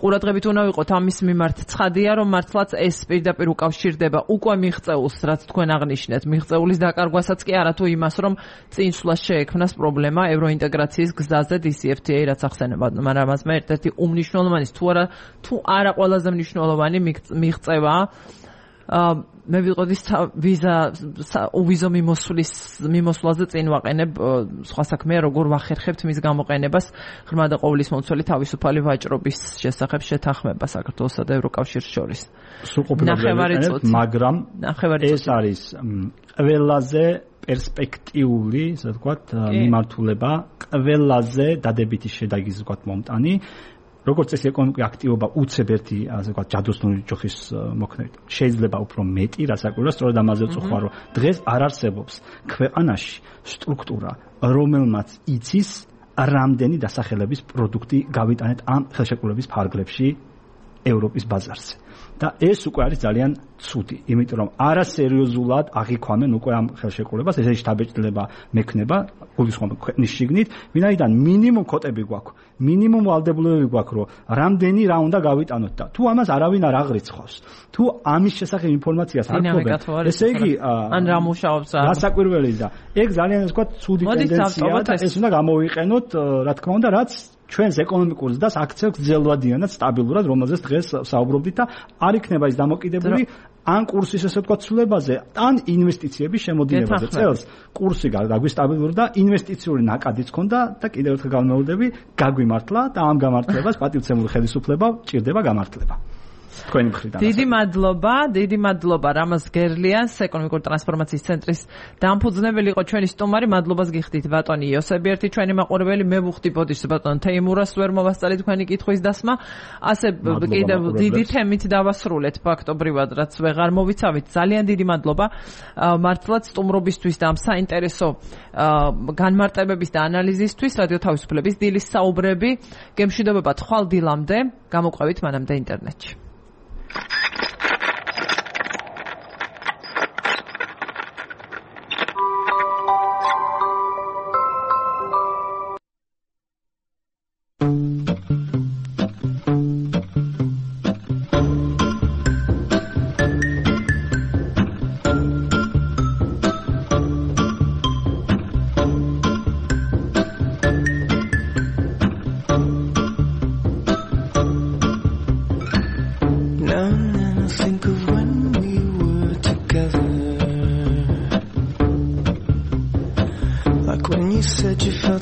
ყურადღებით უნდა ვიყოთ ამის მიმართ. ცხადია, რომ მართლაც ეს პირდაპირ უკავშირდება უკვე მიღწეულს, რაც თქვენ აღნიშნეთ, მიღწეულის დაკარგვასაც კი არა თუ იმას, რომ წინსვლას შეექმნას პრობლემა ევროინტეგრაციის გზაზე DCFTA, რაც ახსენებათ, მაგრამ ამას მე ერთ-ერთი უმნიშვნელოვანი თუ არა ყველაზე მნიშვნელოვანი მიღწევაა. მე ვიყოდი ვიზო მიმოსვლაზე წინ ვაყენებ სხვა საქმეა, როგორ ვახერხებთ მის გამოყენებას ღრმა და ყოვლისმომცველი თავისუფალი ვაჭრობის შესახებ შეთანხმება საქართველოსა და ევროკავშირს შორის. მაგრამ ეს არის ყველაზე პერსპექტიული, ასე ვთქვათ, მიმართულება, ყველაზე დადებითი შედეგის, ასე ვთქვათ, მომტანი. როგორც ეს ეკონომიკური აქტივობა უცებ ერთი, ასე ვთქვათ, ჯადოსნური ჯოხის მოქმედებით. შეიძლება უფრო მეტი, რასაკვირველია, სწორედ ამაზე ვწუხარ, რომ დღეს არ არსებობს ქვეყანაში სტრუქტურა, რომელმაც იცის რამდენი დასახელების პროდუქტი გავიტანეთ ამ ხელშეკრულების ფარგლებში ევროპის ბაზარზე. და ეს უკვე არის ძალიან ცუდი, იმიტომ რომ არასერიოზულად აღიქვამენ უკვე ამ ხელშეკრულებას, ესე შთაბეჭდილება მექნება გულისხმობა ქვეყნის შიგნით, ვინაიდან მინიმუმ კოტები გვაქვს, მინიმუმ ვალდებულებები გვაქვს, რომ რამდენი რა უნდა გავიტანოთ და თუ ამას არავინ არ აღრიცხავს, თუ ამის შესახებ ინფორმაციას არ გვქონდა, ესე იგი ან რა მუშაობს რა. გასაკვირველია და ეგ ძალიან ასე ვთქვათ, ცუდი ტენდენციაა და ეს უნდა გამოვიყენოთ, რა თქმა უნდა, რაც ჩვენს ეკონომიკურ ზრდას აქცევს ძელვადიანად, სტაბილურად, რომელზეც დღეს საუბრობდით და არ იქნება ის დამოკიდებული ან კურსის ესე ვთქვათ ცვლილებაზე, ან ინვესტიციების შემოდინებაზე. წელს კურსი გაგვისტაბილურდა და ინვესტიციური ნაკადიც ჰქონდა და კიდევ ერთხელ განმეორდები, გაგვიმართლა და ამ გამართლებას პატივცემული ხელისუფლება ჭირდება გამართლება. თქვენი მხრიდან. დიდი მადლობა რამაზ გერლიანს, ეკონომიკური ტრანსფორმაციის ცენტრის დამფუძნებელი იყო ჩვენი სტუმარი. მადლობას გიხდით ბატონი იოსებიერთი, ჩვენი მაყურებელი. მე ვუხდი ბოდიშს ბატონ თეიმურას, ვერ მოვასწარი თქვენი კითხვის დასმა. ასე კიდევ დიდი თემით დავასრულეთ ფაქტობრივად, რაც ვეღარ მოვიცავით. ძალიან დიდი მადლობა მართლაც სტუმრობისთვის და ამ საინტერესო განმარტებების და ანალიზისთვის. რადიო თავისუფლების დილის საუბრები გემშვიდობებათ ხვალ დილამდე, გამოყვებით მანამდე ინტერნეტში.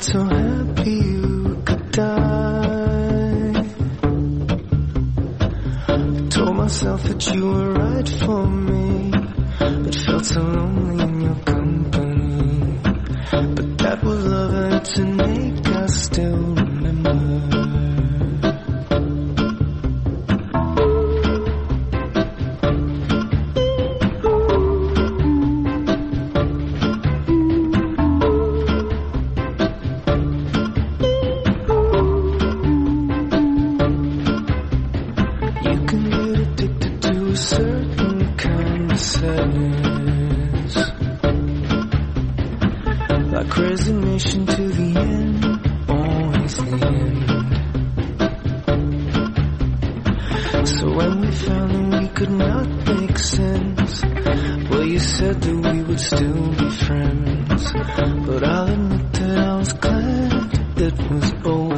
So happy you could die. I told myself that you were right for me, but felt so lonely in your company. But that was love and to make us still remember. Resignation to the end, always the end. So when we found that we could not make sense, well, you said that we would still be friends. But I'll admit that I was glad it was over.